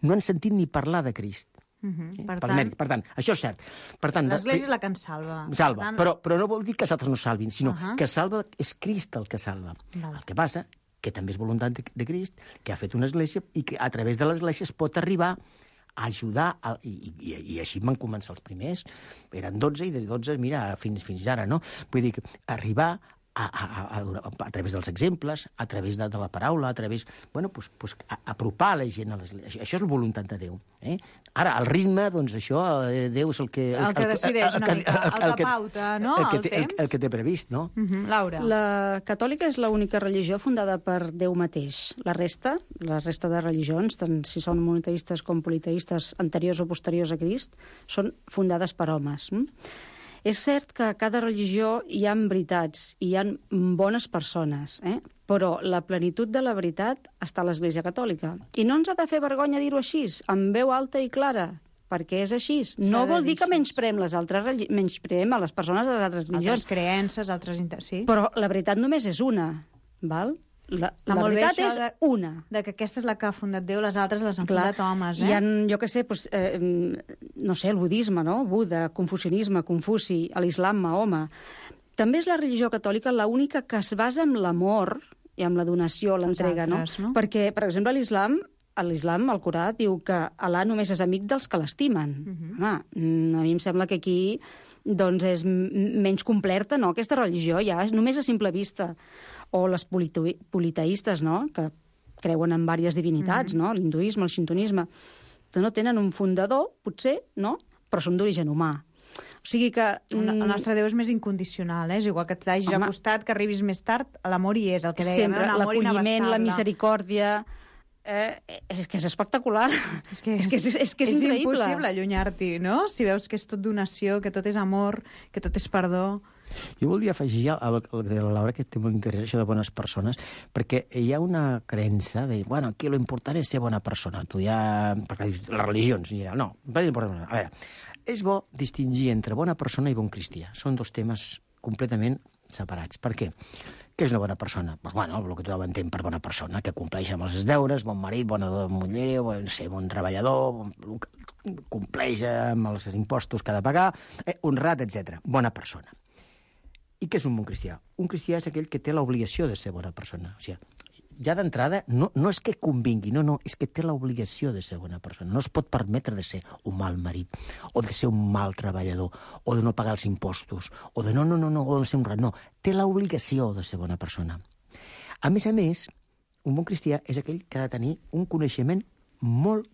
no han sentit ni parlar de Crist. Per tant, això és cert. L'Església és la que ens salva. Salva, però no vol dir que els altres no salvin, sinó que salva, és Crist el que salva. El que passa que també és voluntat de Crist, que ha fet una Església i que a través de l'Església es pot arribar a ajudar, i així van començar els primers, eren 12 i de 12, mira, fins ara, no? Vull dir, arribar a través dels exemples, a través de la paraula, a través... Bueno, apropar la gent a l'Església. Això és la voluntat de Déu. Ara, el ritme, doncs això, Déu és el que... El que decideix una mica, el que pauta, no?, el temps. El que té previst, no? Laura. La catòlica és l'única religió fundada per Déu mateix. La resta de religions, tant si són monoteistes com politeistes anteriors o posteriors a Crist, són fundades per homes. És cert que a cada religió hi ha veritats i hi ha bones persones, però la plenitud de la veritat està a l'Església Catòlica. I no ens ha de fer vergonya dir-ho així, amb veu alta i clara, perquè és així. No vol dir que menyspreem a les persones de les altres religions. Altres creences, sí. Però la veritat només és una, val? La veritat és una. De que aquesta és la que ha fundat Déu, les altres les han fundat homes, Hi ha, jo què sé, no sé, el budisme, no? Buda, confucianisme, Confuci, l'islam, Mahoma. També és la religió catòlica l'única que es basa en l'amor i en la donació, l'entrega, no? Perquè, per exemple, l'islam, el Corà, diu que Allà només és amic dels que l'estimen. Home, a mi em sembla que aquí doncs és menys completa, no?, aquesta religió, ja només a simple vista. O les politeistes, no?, que creuen en diverses divinitats, no?, l'hinduisme, el xintonisme, que no tenen un fundador, potser, no?, però són d'origen humà. O sigui que... El nostre Déu és més incondicional, és igual que t'hagis acostat, que arribis més tard, l'amor hi és, el que dèiem, sempre, l'acolliment, la misericòrdia... és que és espectacular. És que és increïble. És impossible allunyar-t'hi, no?, si veus que és tot donació, que tot és amor, que tot és perdó. Jo voldria afegir el de la Laura, que té molt interès, això de bones persones, perquè hi ha una creença de, bueno, aquí l'important és ser bona persona. Tu ja... Perquè les religions, en general, no. A veure, és bo distingir entre bona persona i bon cristià. Són dos temes completament separats. Per què? Què és una bona persona? Pues, bueno, el que tothom entén per bona persona, que compleix amb els deures, bon marit, bona muller, bon treballador, compleix amb els impostos que ha de pagar, honrat, etc. Bona persona. I què és un bon cristià? Un cristià és aquell que té l'obligació de ser bona persona. O sigui, ja d'entrada, no és que convingui, no, és que té l'obligació de ser bona persona. No es pot permetre de ser un mal marit, o de ser un mal treballador, o de no pagar els impostos, o de no, o de ser honrat. No, té l'obligació de ser bona persona. A més, un bon cristià és aquell que ha de tenir un coneixement molt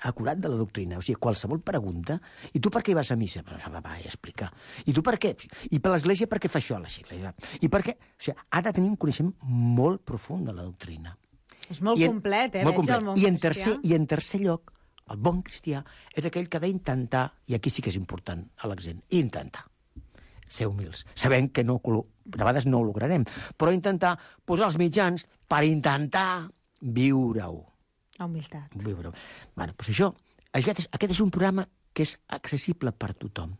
acurat de la doctrina. O sigui, qualsevol pregunta... I tu per què hi vas a missa? Va explicar. I tu per què? I per l'Església per què fa això? I per què? O sigui, ha de tenir un coneixement molt profund de la doctrina. És molt complet, molt complet. El bon cristià. I en tercer lloc, el bon cristià és aquell que ha d'intentar, i aquí sí que és important l'accent, intentar ser humils, sabent que de vegades no ho lograrem, però intentar posar els mitjans per intentar viure-ho. La humilitat. Bueno, doncs això, aquest és un programa que és accessible per tothom.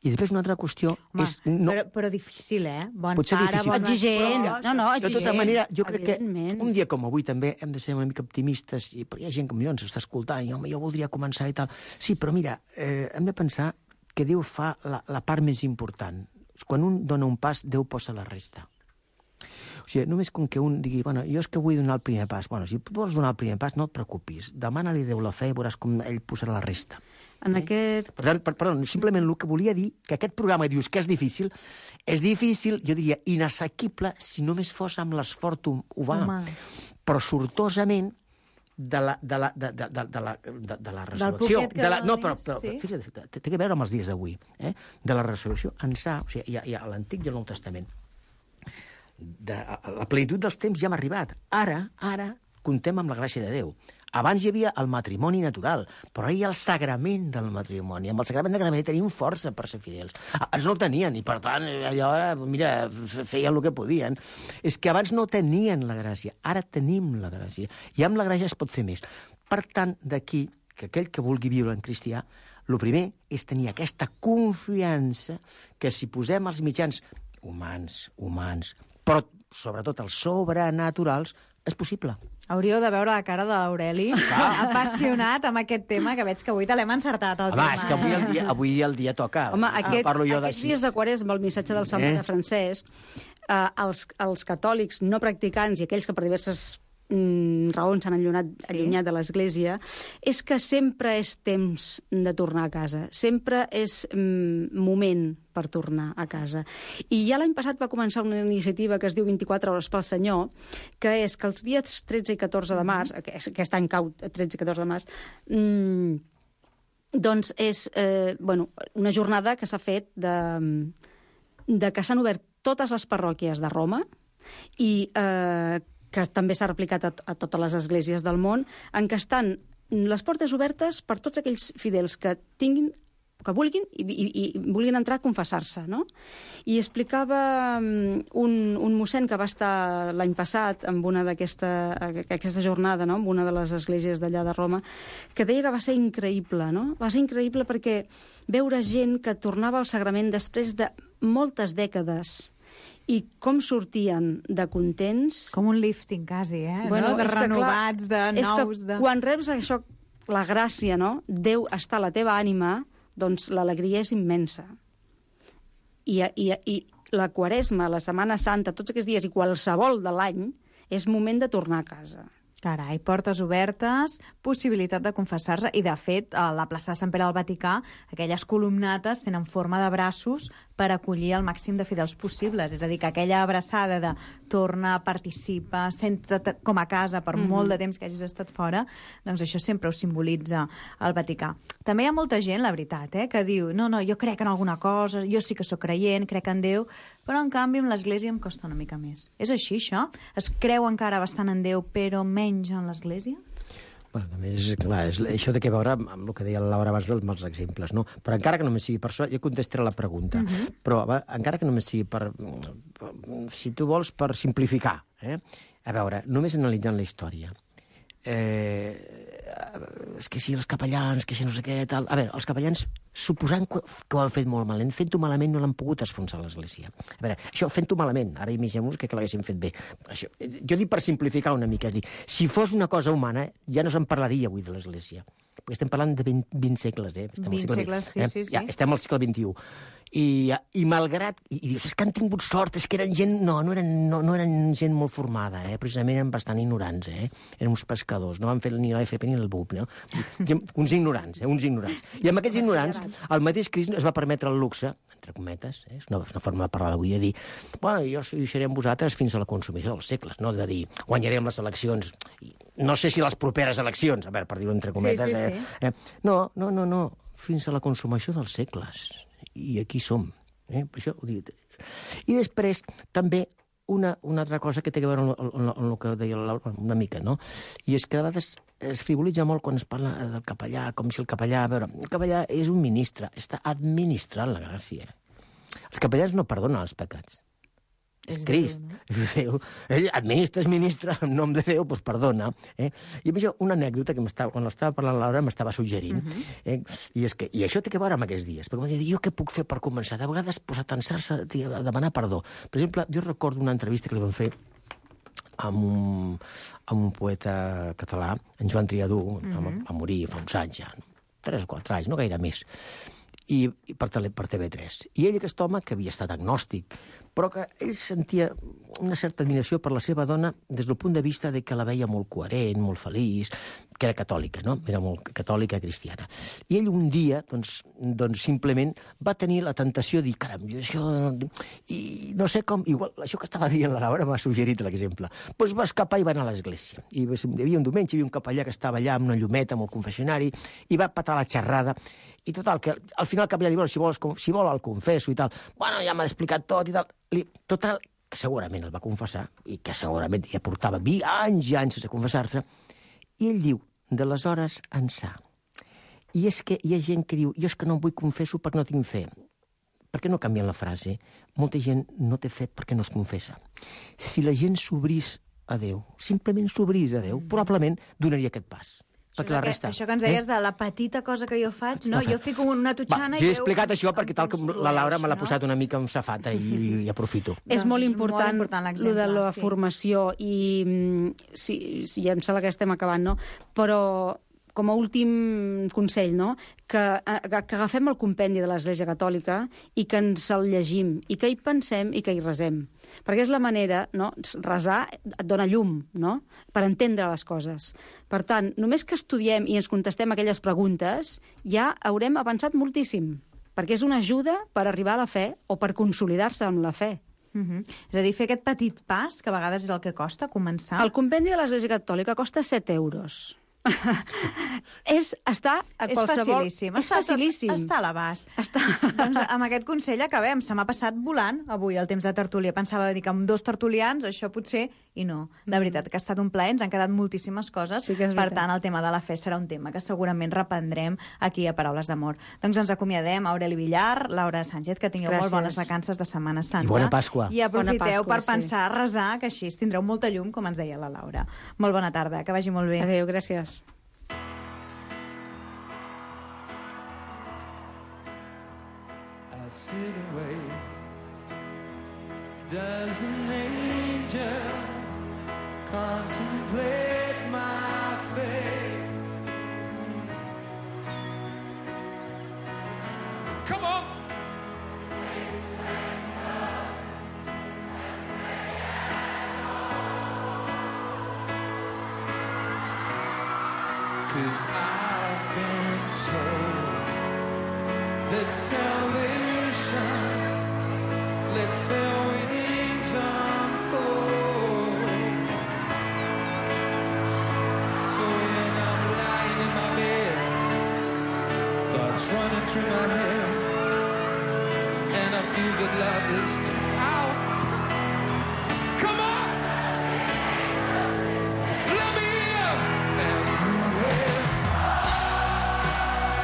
I després una altra qüestió és... Però difícil, Bon potser pare, difícil. Exigent. Exigent. De tota manera, jo crec que un dia com avui també hem de ser una mica optimistes, però hi ha gent que millor ens està escoltant, i home, jo voldria començar i tal. Sí, però mira, hem de pensar que Déu fa la part més important. Quan un dona un pas, Déu posa la resta. O sigui, només com que un digui, bueno, jo és que vull donar el primer pas. Bueno, si tu vols donar el primer pas, no et preocupis. Demana-li a Déu la fe i veuràs com ell posarà la resta. Per tant, perdó, simplement el que volia dir, que aquest programa dius que és difícil, jo diria, inassequible si només fos amb l'esforç humà. Però sortosament de la resurrecció. Fixa't, té a veure amb els dies d'avui. De la resurrecció ençà, o sigui, hi ha l'Antic i el Nou Testament. La plenitud dels temps ja hem arribat. Ara comptem amb la gràcia de Déu. Abans hi havia el matrimoni natural, però ara hi ha el sagrament del matrimoni. Amb el sagrament de matrimoni tenim força per ser fidels. Abans no el tenien, i per tant, allò, mira, feien el que podien. És que abans no tenien la gràcia, ara tenim la gràcia. I amb la gràcia es pot fer més. Per tant, d'aquí, que aquell que vulgui viure en cristià, el primer és tenir aquesta confiança que si posem els mitjans humans, però sobretot els sobrenaturals, és possible. Hauríeu de veure la cara de l'Aureli, apassionat amb aquest tema, que veig que avui te l'hem encertat, el tema. És que avui el dia toca. Home, aquests dies de Quaresma, el missatge del Sant Pare Francesc, els catòlics no practicants i aquells que per diverses raons s'han allunyat de l'Església, és que sempre és temps de tornar a casa. Sempre és moment per tornar a casa. I ja l'any passat va començar una iniciativa que es diu 24 hores pel Senyor, que és que els dies 13 i 14 de març, aquest any cau 13 i 14 de març, doncs és una jornada que s'ha fet de que s'han obert totes les parròquies de Roma i que també s'ha replicat a totes les esglésies del món, en què estan les portes obertes per tots aquells fidels que vulguin i vulguin entrar a confessar-se, no? I explicava un mossèn que va estar l'any passat en una d'aquesta jornada, no? En una de les esglésies d'allà de Roma, que deia que va ser increïble, no? Va ser increïble perquè veure gent que tornava al sagrament després de moltes dècades i com sortien de contents... Com un lifting, quasi, Bueno, no? De renovats, de nous... Quan reps això, la gràcia, no? Déu està a la teva ànima, doncs l'alegria és immensa. I la Quaresma, la Setmana Santa, tots aquests dies i qualsevol de l'any, és moment de tornar a casa. Carai, portes obertes, possibilitat de confessar-se, i de fet, a la plaça de Sant Pere del Vaticà, aquelles columnates tenen forma de braços per acollir el màxim de fidels possibles. És a dir, que aquella abraçada de torna, participa, senta't com a casa per molt de temps que hagis estat fora, doncs això sempre ho simbolitza el Vaticà. També hi ha molta gent, la veritat, que diu no, jo crec en alguna cosa, jo sí que sóc creient, crec en Déu, però en canvi amb l'Església em costa una mica més. És així, això? Es creu encara bastant en Déu, però menys en l'Església? Bueno, també és clar, això té a veure amb el que deia la Laura abans dels exemples, no? Però encara que només sigui per això, jo contestaré la pregunta, però encara que només sigui per, si tu vols, per simplificar, a veure, només analitzant la història, és que si els capellans, que si no sé què, tal... A veure, els capellans, suposant que ho han fet molt malament, fent-ho malament no l'han pogut esfonsar l'Església. A veure, això fent-ho malament, ara imaginem-nos que l'haguessin fet bé. Això, jo dic per simplificar una mica, és dir, si fos una cosa humana, ja no se'n parlaria avui de l'Església. Perquè estem parlant de 20 segles, 20 segles, sí. Ja, estem al segle XXI. I malgrat... I dius, és que han tingut sort, és que eren gent... No eren gent molt formada, precisament eren bastant ignorants, Eren uns pescadors, no van fer ni l'AFP ni el BUP, no? Uns ignorants, uns ignorants. I amb aquests ignorants, el mateix Crist es va permetre el luxe, entre cometes, és una forma de parlar d'avui, de dir, bueno, jo seré amb vosaltres fins a la consumició dels segles, no? De dir, guanyarem les eleccions, no sé si les properes eleccions, a veure, per dir-ho entre cometes, sí. No, fins a la consumació dels segles. I aquí som. Això ho dic. I després, també, una altra cosa que té a veure amb el que deia una mica, no? I és que a vegades es frivolitza molt quan es parla del capellà, com si el capellà... A veure, el capellà és un ministre, està administrant la gràcia. Els capellans no perdonen els pecats. És Crist. Déu. Ell administra, és ministre, en nom de Déu, doncs perdona. I amb això, una anècdota que quan l'estava parlant Laura m'estava suggerint. I això té a veure amb aquests dies. Perquè m'ha dit, jo què puc fer per començar? De vegades posar a tensar-se, a demanar perdó. Per exemple, jo recordo una entrevista que li van fer amb un poeta català, en Joan Triadú, va morir fa uns anys ja, 3 o 4 anys, no gaire més, i per TV3. I ell, aquest home, que havia estat agnòstic, però que ell sentia una certa admiració per la seva dona des del punt de vista de que la veia molt coherent, molt feliç, que era catòlica, no? Era molt catòlica cristiana. I ell un dia, doncs simplement va tenir la tentació de dir, caram, això... I no sé com... Igual, això que estava dient la Laura m'ha suggerit l'exemple. Doncs va escapar i va anar a l'església. I hi havia un diumenge, hi havia un capellà que estava allà amb una llumeta, amb el confessionari, i va patar la xerrada. I total, que al final el capellà diu, si vol el confesso i tal. Bueno, ja m'ha explicat tot i tal. Total, que segurament el va confessar, i que segurament ja portava anys i anys sense confessar-se, i ell diu, d'aleshores ençà. I és que hi ha gent que diu, jo és que no em vull confesso perquè no tinc fe. Per què no canvien la frase? Molta gent no té fe perquè no es confessa. Si la gent s'obrís a Déu, simplement s'obrís a Déu, probablement donaria aquest pas. Això que ens deies de la petita cosa que jo faig, no? Jo fico una totxana i... Jo he explicat això perquè tal com la Laura me l'ha posat una mica amb safata i aprofito. És molt important lo de la formació i sí, em sembla que estem acabant, no? Però com a últim consell, no? Que agafem el compendi de l'Església Catòlica i que ens el llegim, i que hi pensem i que hi resem. Perquè és la manera, no? Resar et dona llum, no? Per entendre les coses. Per tant, només que estudiem i ens contestem aquelles preguntes, ja haurem avançat moltíssim, perquè és una ajuda per arribar a la fe o per consolidar-se amb la fe. És a dir, fer aquest petit pas, que a vegades és el que costa començar. El compendi de l'Església Catòlica costa 7 euros. Està a qualsevol... És facilíssim. Està a l'abast. Doncs amb aquest consell acabem. Se m'ha passat volant avui el temps de tertúlia. Pensava dir que amb 2 tertulians això potser... I no. La veritat que ha estat un plaer. Ens han quedat moltíssimes coses. Sí que és per tant, el tema de la fe serà un tema que segurament reprendrem aquí a Paraules d'Amor. Doncs ens acomiadem. Aureli Villar, Laura Sánchez, que tingueu molt bones vacances de Setmana Santa. I bona Pasqua. I aprofiteu per pensar, resar, que així tindreu molta llum, com ens deia la Laura. Molt bona tarda. Que vagi molt bé. Adéu, gràcies. Sit away. Does an angel contemplate my fate? Come on! 'Cause I've been told that salvation lets their wings unfold. So when I'm lying in my bed, thoughts running through my head, and I feel that love is out. Come on! Let me in! Everywhere.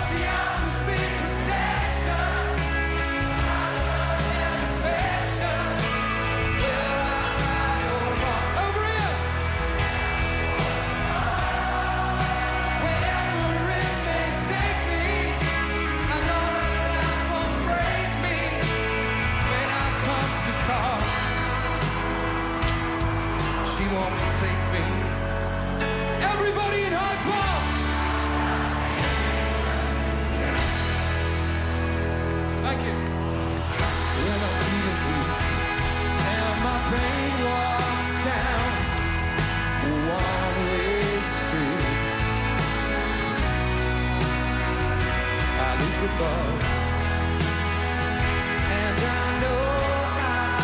See, I was being protection and affection. Where I'm right or wrong. Over here! Wherever it may take me, I know that life won't break me when I come to call. She won't save me. Everybody in Hyde Park! Thank you. When I'm feeling weak and my pain walks down a one-way street, I look above and I know I'll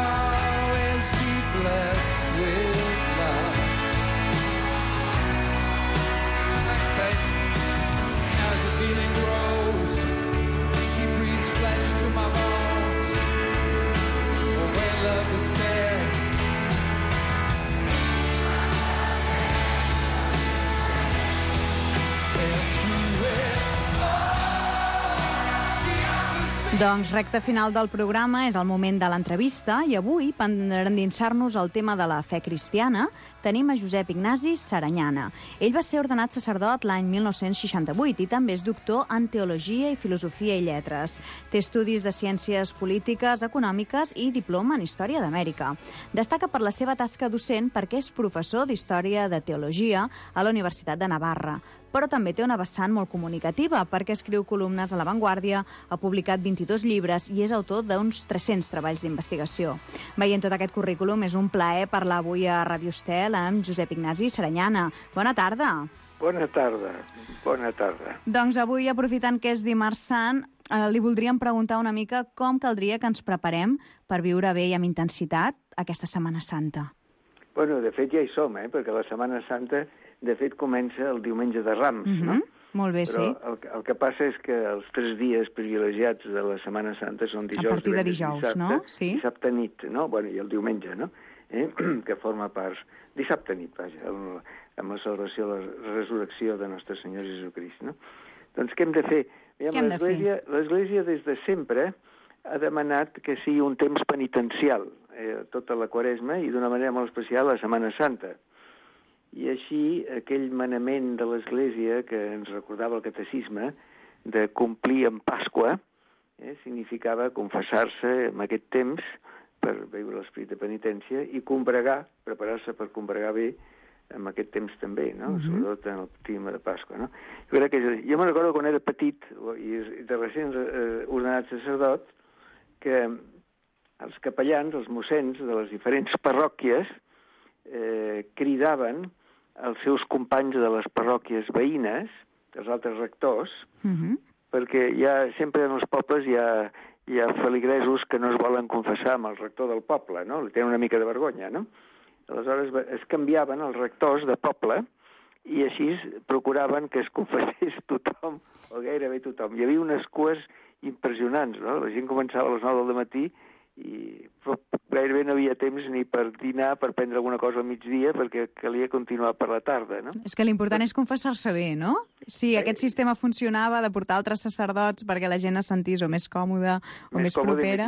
always be blessed with love. Thanks, babe. As the feeling grows, she breathes flesh to my bones. When love is there, Doncs recta final del programa, és el moment de l'entrevista i avui, per endinsar-nos al tema de la fe cristiana, tenim a Josep Ignasi Saranyana. Ell va ser ordenat sacerdot l'any 1968 i també és doctor en Teologia i Filosofia i Lletres. Té estudis de Ciències Polítiques, Econòmiques i diploma en Història d'Amèrica. Destaca per la seva tasca docent perquè és professor d'Història de Teologia a la Universitat de Navarra, però també té una vessant molt comunicativa perquè escriu columnes a La Vanguardia, ha publicat 22 llibres i és autor d'uns 300 treballs d'investigació. Veient tot aquest currículum, és un plaer parlar avui a Radio Estel amb Josep Ignasi Saranyana. Bona tarda. Bona tarda, bona tarda. Doncs avui, aprofitant que és dimarts sant, li voldríem preguntar una mica com caldria que ens preparem per viure bé i amb intensitat aquesta Setmana Santa. Bueno, de fet ja hi som, perquè la Setmana Santa de fet comença el diumenge de Rams, no? Molt bé, però sí. el que passa és que els 3 dies privilegiats de la Setmana Santa són dijous, a partir de divendres, dijous, dissabte, no? Sí. Dissabte nit, no? Bueno, i el diumenge, no? Que forma part... Dissabte nit, vaja, amb la celebració de la resurrecció de Nostre Senyor Jesucrist, no? Doncs què hem de fer? Què hem de fer? L'Església des de sempre ha demanat que sigui un temps penitencial, tota la Quaresma, i d'una manera molt especial la Setmana Santa. I així, aquell manament de l'Església que ens recordava el catecisme de complir en Pasqua significava confessar-se en aquest temps per viure l'esperit de penitència i combregar, preparar-se per combregar bé en aquest temps també, no? Sobretot en el clima de Pasqua, no? Jo me'n recordo quan era petit i de recent ordenat sacerdot que els capellans, els mossens de les diferents parròquies cridaven els seus companys de les parròquies veïnes, els altres rectors, perquè sempre en els pobles hi ha feligresos que no es volen confessar amb el rector del poble, no? Li tenen una mica de vergonya, no? Aleshores es canviaven els rectors de poble i així procuraven que es confessés tothom, o gairebé tothom. Hi havia unes cues impressionants, no? La gent començava a les 9 del matí i gairebé no havia temps ni per dinar, per prendre alguna cosa al migdia, perquè calia continuar per la tarda, no? És que l'important és confessar-se bé, no? Si aquest sistema funcionava de portar altres sacerdots perquè la gent es sentís o més còmoda o més propera...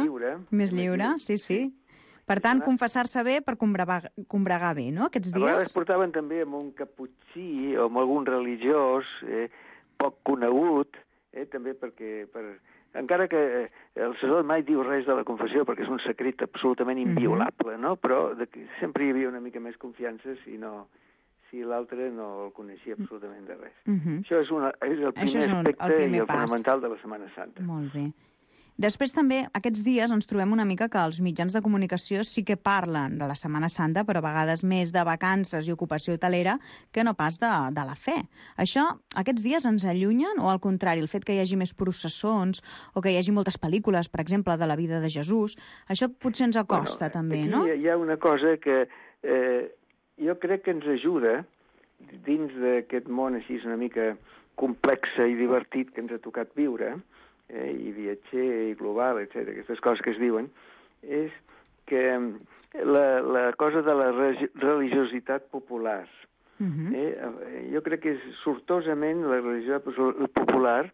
Més lliure, sí. Per tant, confessar-se bé per combregar bé, no?, aquests dies. A vegades portaven també amb un caputxí o amb algun religiós poc conegut, també perquè... Encara que el sacerdot mai diu res de la confessió perquè és un secret absolutament inviolable, no? Però sempre hi havia una mica més confiança si l'altre no el coneixia absolutament de res. Això és el primer aspecte i el fonamental de la Setmana Santa. Molt bé. Després també, aquests dies ens trobem una mica que els mitjans de comunicació sí que parlen de la Setmana Santa, però a vegades més de vacances i ocupació hotelera que no pas de la fe. Això, aquests dies ens allunyen o, al contrari, el fet que hi hagi més processons o que hi hagi moltes pel·lícules, per exemple, de la vida de Jesús, això potser ens acosta també, no? Aquí hi ha una cosa que jo crec que ens ajuda dins d'aquest món així una mica complex i divertit que ens ha tocat viure, i viatger, i global, etc. Aquestes coses que es diuen, és que la cosa de la religiositat popular. Jo crec que és sortosament la religió popular,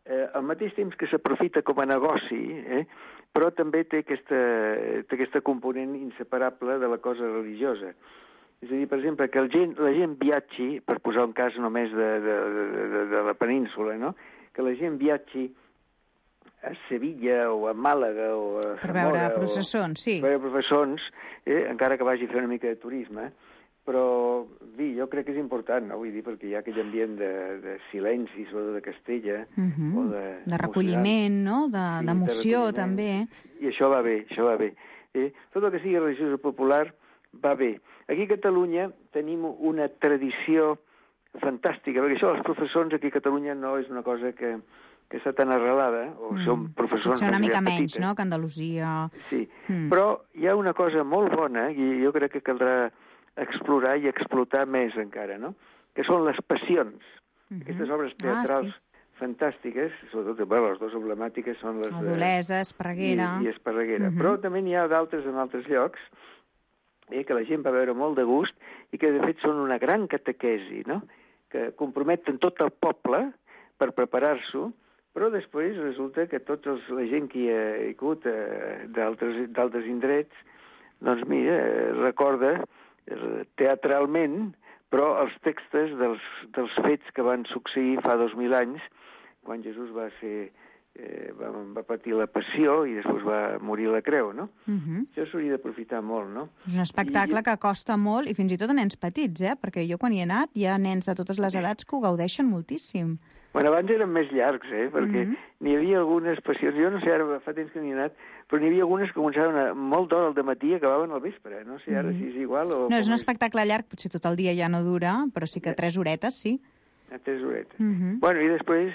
al mateix temps que s'aprofita com a negoci, però també té aquesta component inseparable de la cosa religiosa. És a dir, per exemple, que la gent viatgi, per posar un cas només de la península, no?, que la gent viatgi a Sevilla o a Màlaga o a Zamora... Per veure processons, sí. Per veure processons, encara que vagi a fer una mica de turisme, però, jo crec que és important, no? Vull dir, perquè hi ha aquell ambient de silenci, sobretot de Castella, o de recolliment, no?, d'emoció, també. I això va bé, Tot el que sigui religiosa popular va bé. Aquí a Catalunya tenim una tradició fantàstica, perquè això dels professors aquí a Catalunya no és una cosa que està tan arrelada, o són professors... Potser una mica menys, no?, que Andalusia... Sí, però hi ha una cosa molt bona, i jo crec que caldrà explorar i explotar més encara, no?, que són les passions. Aquestes obres teatrals fantàstiques, sobretot, les dues emblemàtiques són les Adolesa, Esparreguera... I Esparreguera. Però també n'hi ha d'altres en altres llocs, que la gent va veure molt de gust i que, de fet, són una gran catequesi, no?, que comprometen tot el poble per preparar-s'ho, però després resulta que la gent que hi ha hagut d'altres indrets, doncs mira, recorda teatralment, però els textos dels fets que van succeir fa 2.000 anys, quan Jesús va patir la passió i després va morir a la creu, no? Això s'hauria d'aprofitar molt, no? És un espectacle que costa molt, i fins i tot a nens petits, perquè jo quan hi he anat hi ha nens de totes les edats que ho gaudeixen moltíssim. Bueno, abans eren més llargs, perquè n'hi havia algunes passions, jo no sé, ara fa temps que n'hi he anat, però n'hi havia algunes que començaven molt d'hora al dematí i acabaven al vespre, no sé ara si és igual o... No, és un espectacle llarg, potser tot el dia ja no dura, però sí que 3 horetes, sí. 3 horetes. Bueno, i després,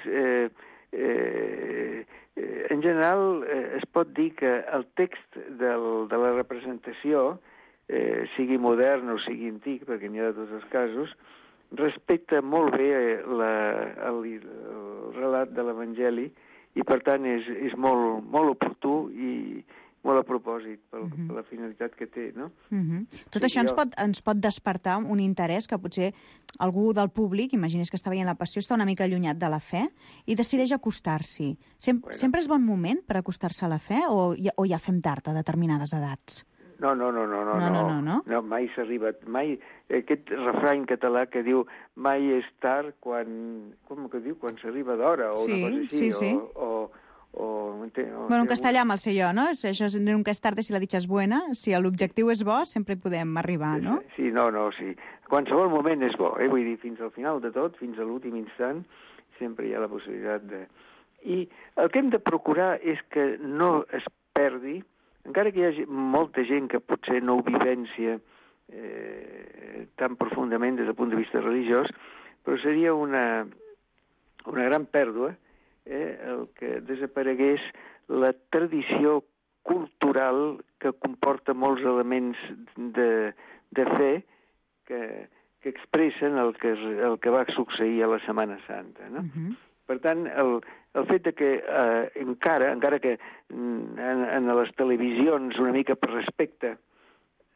en general, es pot dir que el text de la representació, sigui modern o sigui antic, perquè n'hi ha de tots els casos, respecta molt bé el relat de l'Evangeli i, per tant, és molt, molt oportú i molt a propòsit per la finalitat que té, no? Tot això ens pot despertar un interès que potser algú del públic, imagines que està veient la passió, està una mica allunyat de la fe i decideix acostar-s'hi. Sempre és bon moment per acostar-se a la fe o ja fem tard a determinades edats? No, mai s'arriba... Aquest refrany català que diu mai és tard quan... Com que diu? Quan s'arriba d'hora, o una cosa així. O Bueno, en castellà me'l sé jo, no? Això és nunca es tarde si la dicha es buena. Si l'objectiu és bo, sempre hi podem arribar, no? Sí, sí. Qualsevol moment és bo, Vull dir, fins al final de tot, fins a l'últim instant, sempre hi ha la possibilitat de... I el que hem de procurar és que no es perdi, encara que hi hagi molta gent que potser no ho vivència tan profundament des del punt de vista religiós, però seria una gran pèrdua el que desaparegués la tradició cultural que comporta molts elements de fe que expressen el que va succeir a la Setmana Santa, no? Per tant, el fet de que encara que en les televisions, una mica per respecte,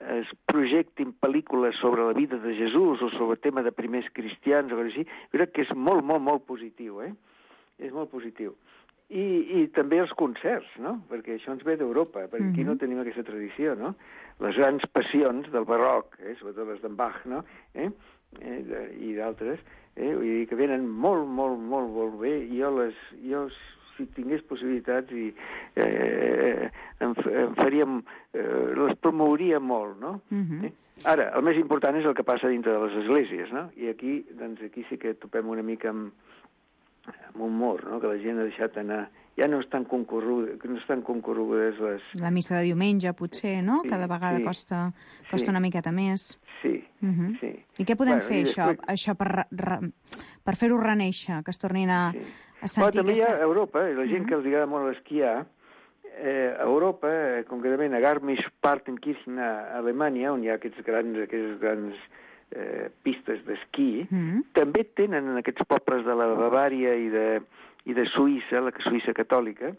es projectin pel·lícules sobre la vida de Jesús o sobre el tema de primers cristians o així, jo crec que és molt, molt, molt positiu, És molt positiu. I també els concerts, no? Perquè això ens ve d'Europa, perquè aquí no tenim aquesta tradició, no? Les grans passions del barroc, sobretot les d'en Bach, no? I d'altres, vull dir que venen molt, molt, molt, molt bé, i jo si tingués possibilitats les promouria molt, no? Ara, el més important és el que passa dintre de les esglésies, no? I aquí sí que topem una mica amb un mur, no? Que la gent ha deixat anar... Ja no estan concorregudes les... La missa de diumenge, potser, no? Cada vegada costa una miqueta més. Sí. I què podem fer, això per fer-ho renéixer, que es tornin a sentir... També hi ha a Europa, la gent que els agrada molt esquiar, a Europa, concretament a Garmisch-Partenkirchen, a Alemanya, on hi ha aquests grans pistes d'esquí, també tenen en aquests pobles de la Bavària i de Suïssa, la Suïssa catòlica,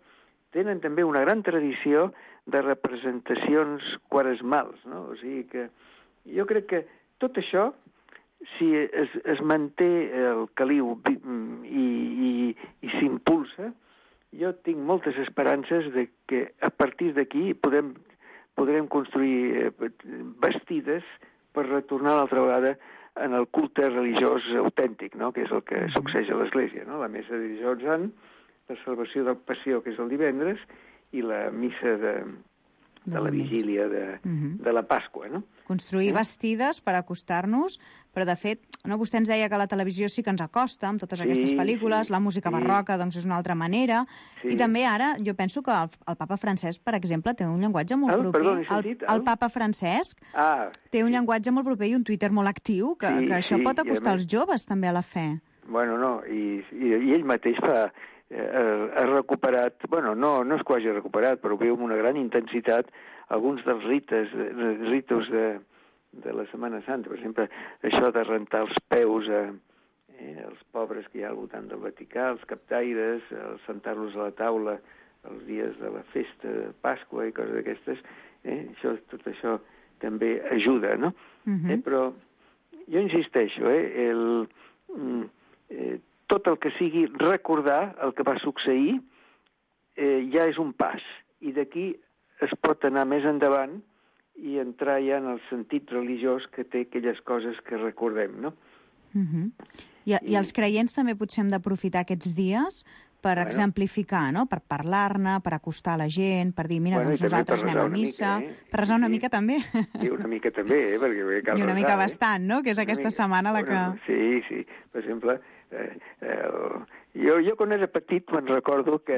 tenen també una gran tradició de representacions quaresmals, no? O sigui que jo crec que tot això, si es manté el caliu i s'impulsa, jo tinc moltes esperances de que a partir d'aquí podrem construir bastides per retornar l'altra vegada en el culte religiós autèntic, no? Que és el que succeeix a l'Església, no? La missa de dijous sant, la celebració del Passió, que és el divendres, i la missa de la vigília de la Pasqua, no? Construir bastides per acostar-nos, però de fet, no, vostè ens deia que la televisió sí que ens acosta amb totes aquestes pel·lícules, la música barroca doncs és una altra manera, i també ara jo penso que el papa Francesc, per exemple, té un llenguatge molt proper. El papa Francesc té un llenguatge molt proper i un Twitter molt actiu, que això pot acostar els joves també a la fe. Bueno, no, i ell mateix ha recuperat, bueno, no és que ho hagi recuperat, però veu amb una gran intensitat alguns dels ritus de la Setmana Santa. Per exemple, això de rentar els peus als pobres que hi ha al voltant del Vaticà, els captaires, sentar-los a la taula els dies de la festa de Pasqua i coses d'aquestes, tot això també ajuda, no? Però jo insisteixo, tot el que sigui recordar el que va succeir ja és un pas, i d'aquí es pot anar més endavant i entrar ja en el sentit religiós que té aquelles coses que recordem, no? I els creients també potser hem d'aprofitar aquests dies per exemplificar, no? Per parlar-ne, per acostar la gent, per dir, mira, doncs nosaltres anem a missa... Per resar una mica també. I una mica també, perquè cal resar. I una mica bastant, no? Que és aquesta setmana la que... Sí. Per exemple, jo quan era petit me'n recordo que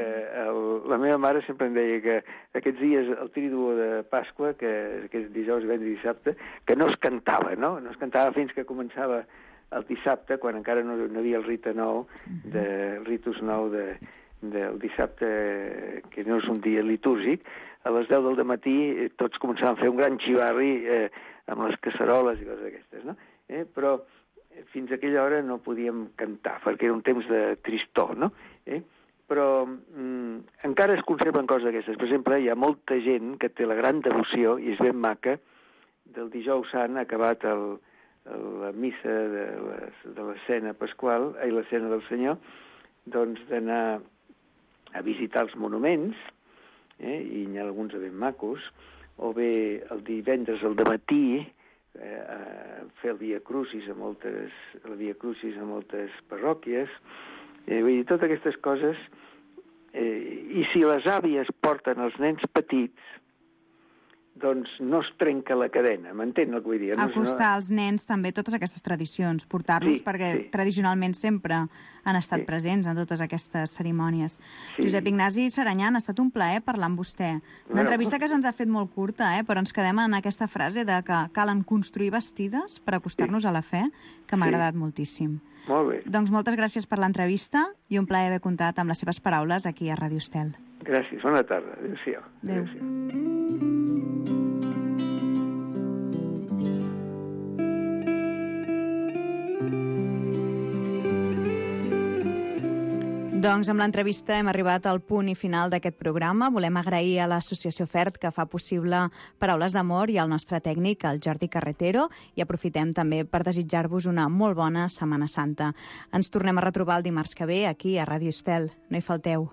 la meva mare sempre em deia que aquests dies, el Triduo de Pasqua, que és dijous, divendres i dissabte, que no es cantava, no? No es cantava fins que començava el dissabte, quan encara no hi havia el ritus nou del dissabte, que no és un dia litúrgic, a les 10 del matí tots començaven a fer un gran xivarri amb les casseroles i coses d'aquestes, no? Però fins a aquella hora no podíem cantar, perquè era un temps de tristor, no? Però encara es conserven coses d'aquestes. Per exemple, hi ha molta gent que té la gran devoció, i és ben maca, del dijous sant, acabat la missa de l'escena pasqual, l'escena del Senyor, doncs d'anar a visitar els monuments, i n'hi ha alguns ben macos, o bé el divendres al dematí, fer el Via Crucis a moltes parròquies, vull dir, totes aquestes coses, i I si les àvies porten els nens petits, doncs no es trenca la cadena, m'entén el que vull dir? Acostar als nens també totes aquestes tradicions, portar-los perquè tradicionalment sempre han estat presents en totes aquestes cerimònies. Josep Ignasi Saranyan, ha estat un plaer parlar amb vostè. Una entrevista que se'ns ha fet molt curta, però ens quedem en aquesta frase de que calen construir bastides per acostar-nos a la fe, que m'ha agradat moltíssim. Molt bé. Doncs moltes gràcies per l'entrevista i un plaer haver comptat amb les seves paraules aquí a Ràdio Estel. Gràcies, bona tarda. Adéu-siau. Doncs amb l'entrevista hem arribat al punt i final d'aquest programa. Volem agrair a l'Associació FERT que fa possible Paraules d'Amor i al nostre tècnic, el Jordi Carretero, i aprofitem també per desitjar-vos una molt bona Setmana Santa. Ens tornem a retrobar el dimarts que ve aquí a Ràdio Estel. No hi falteu.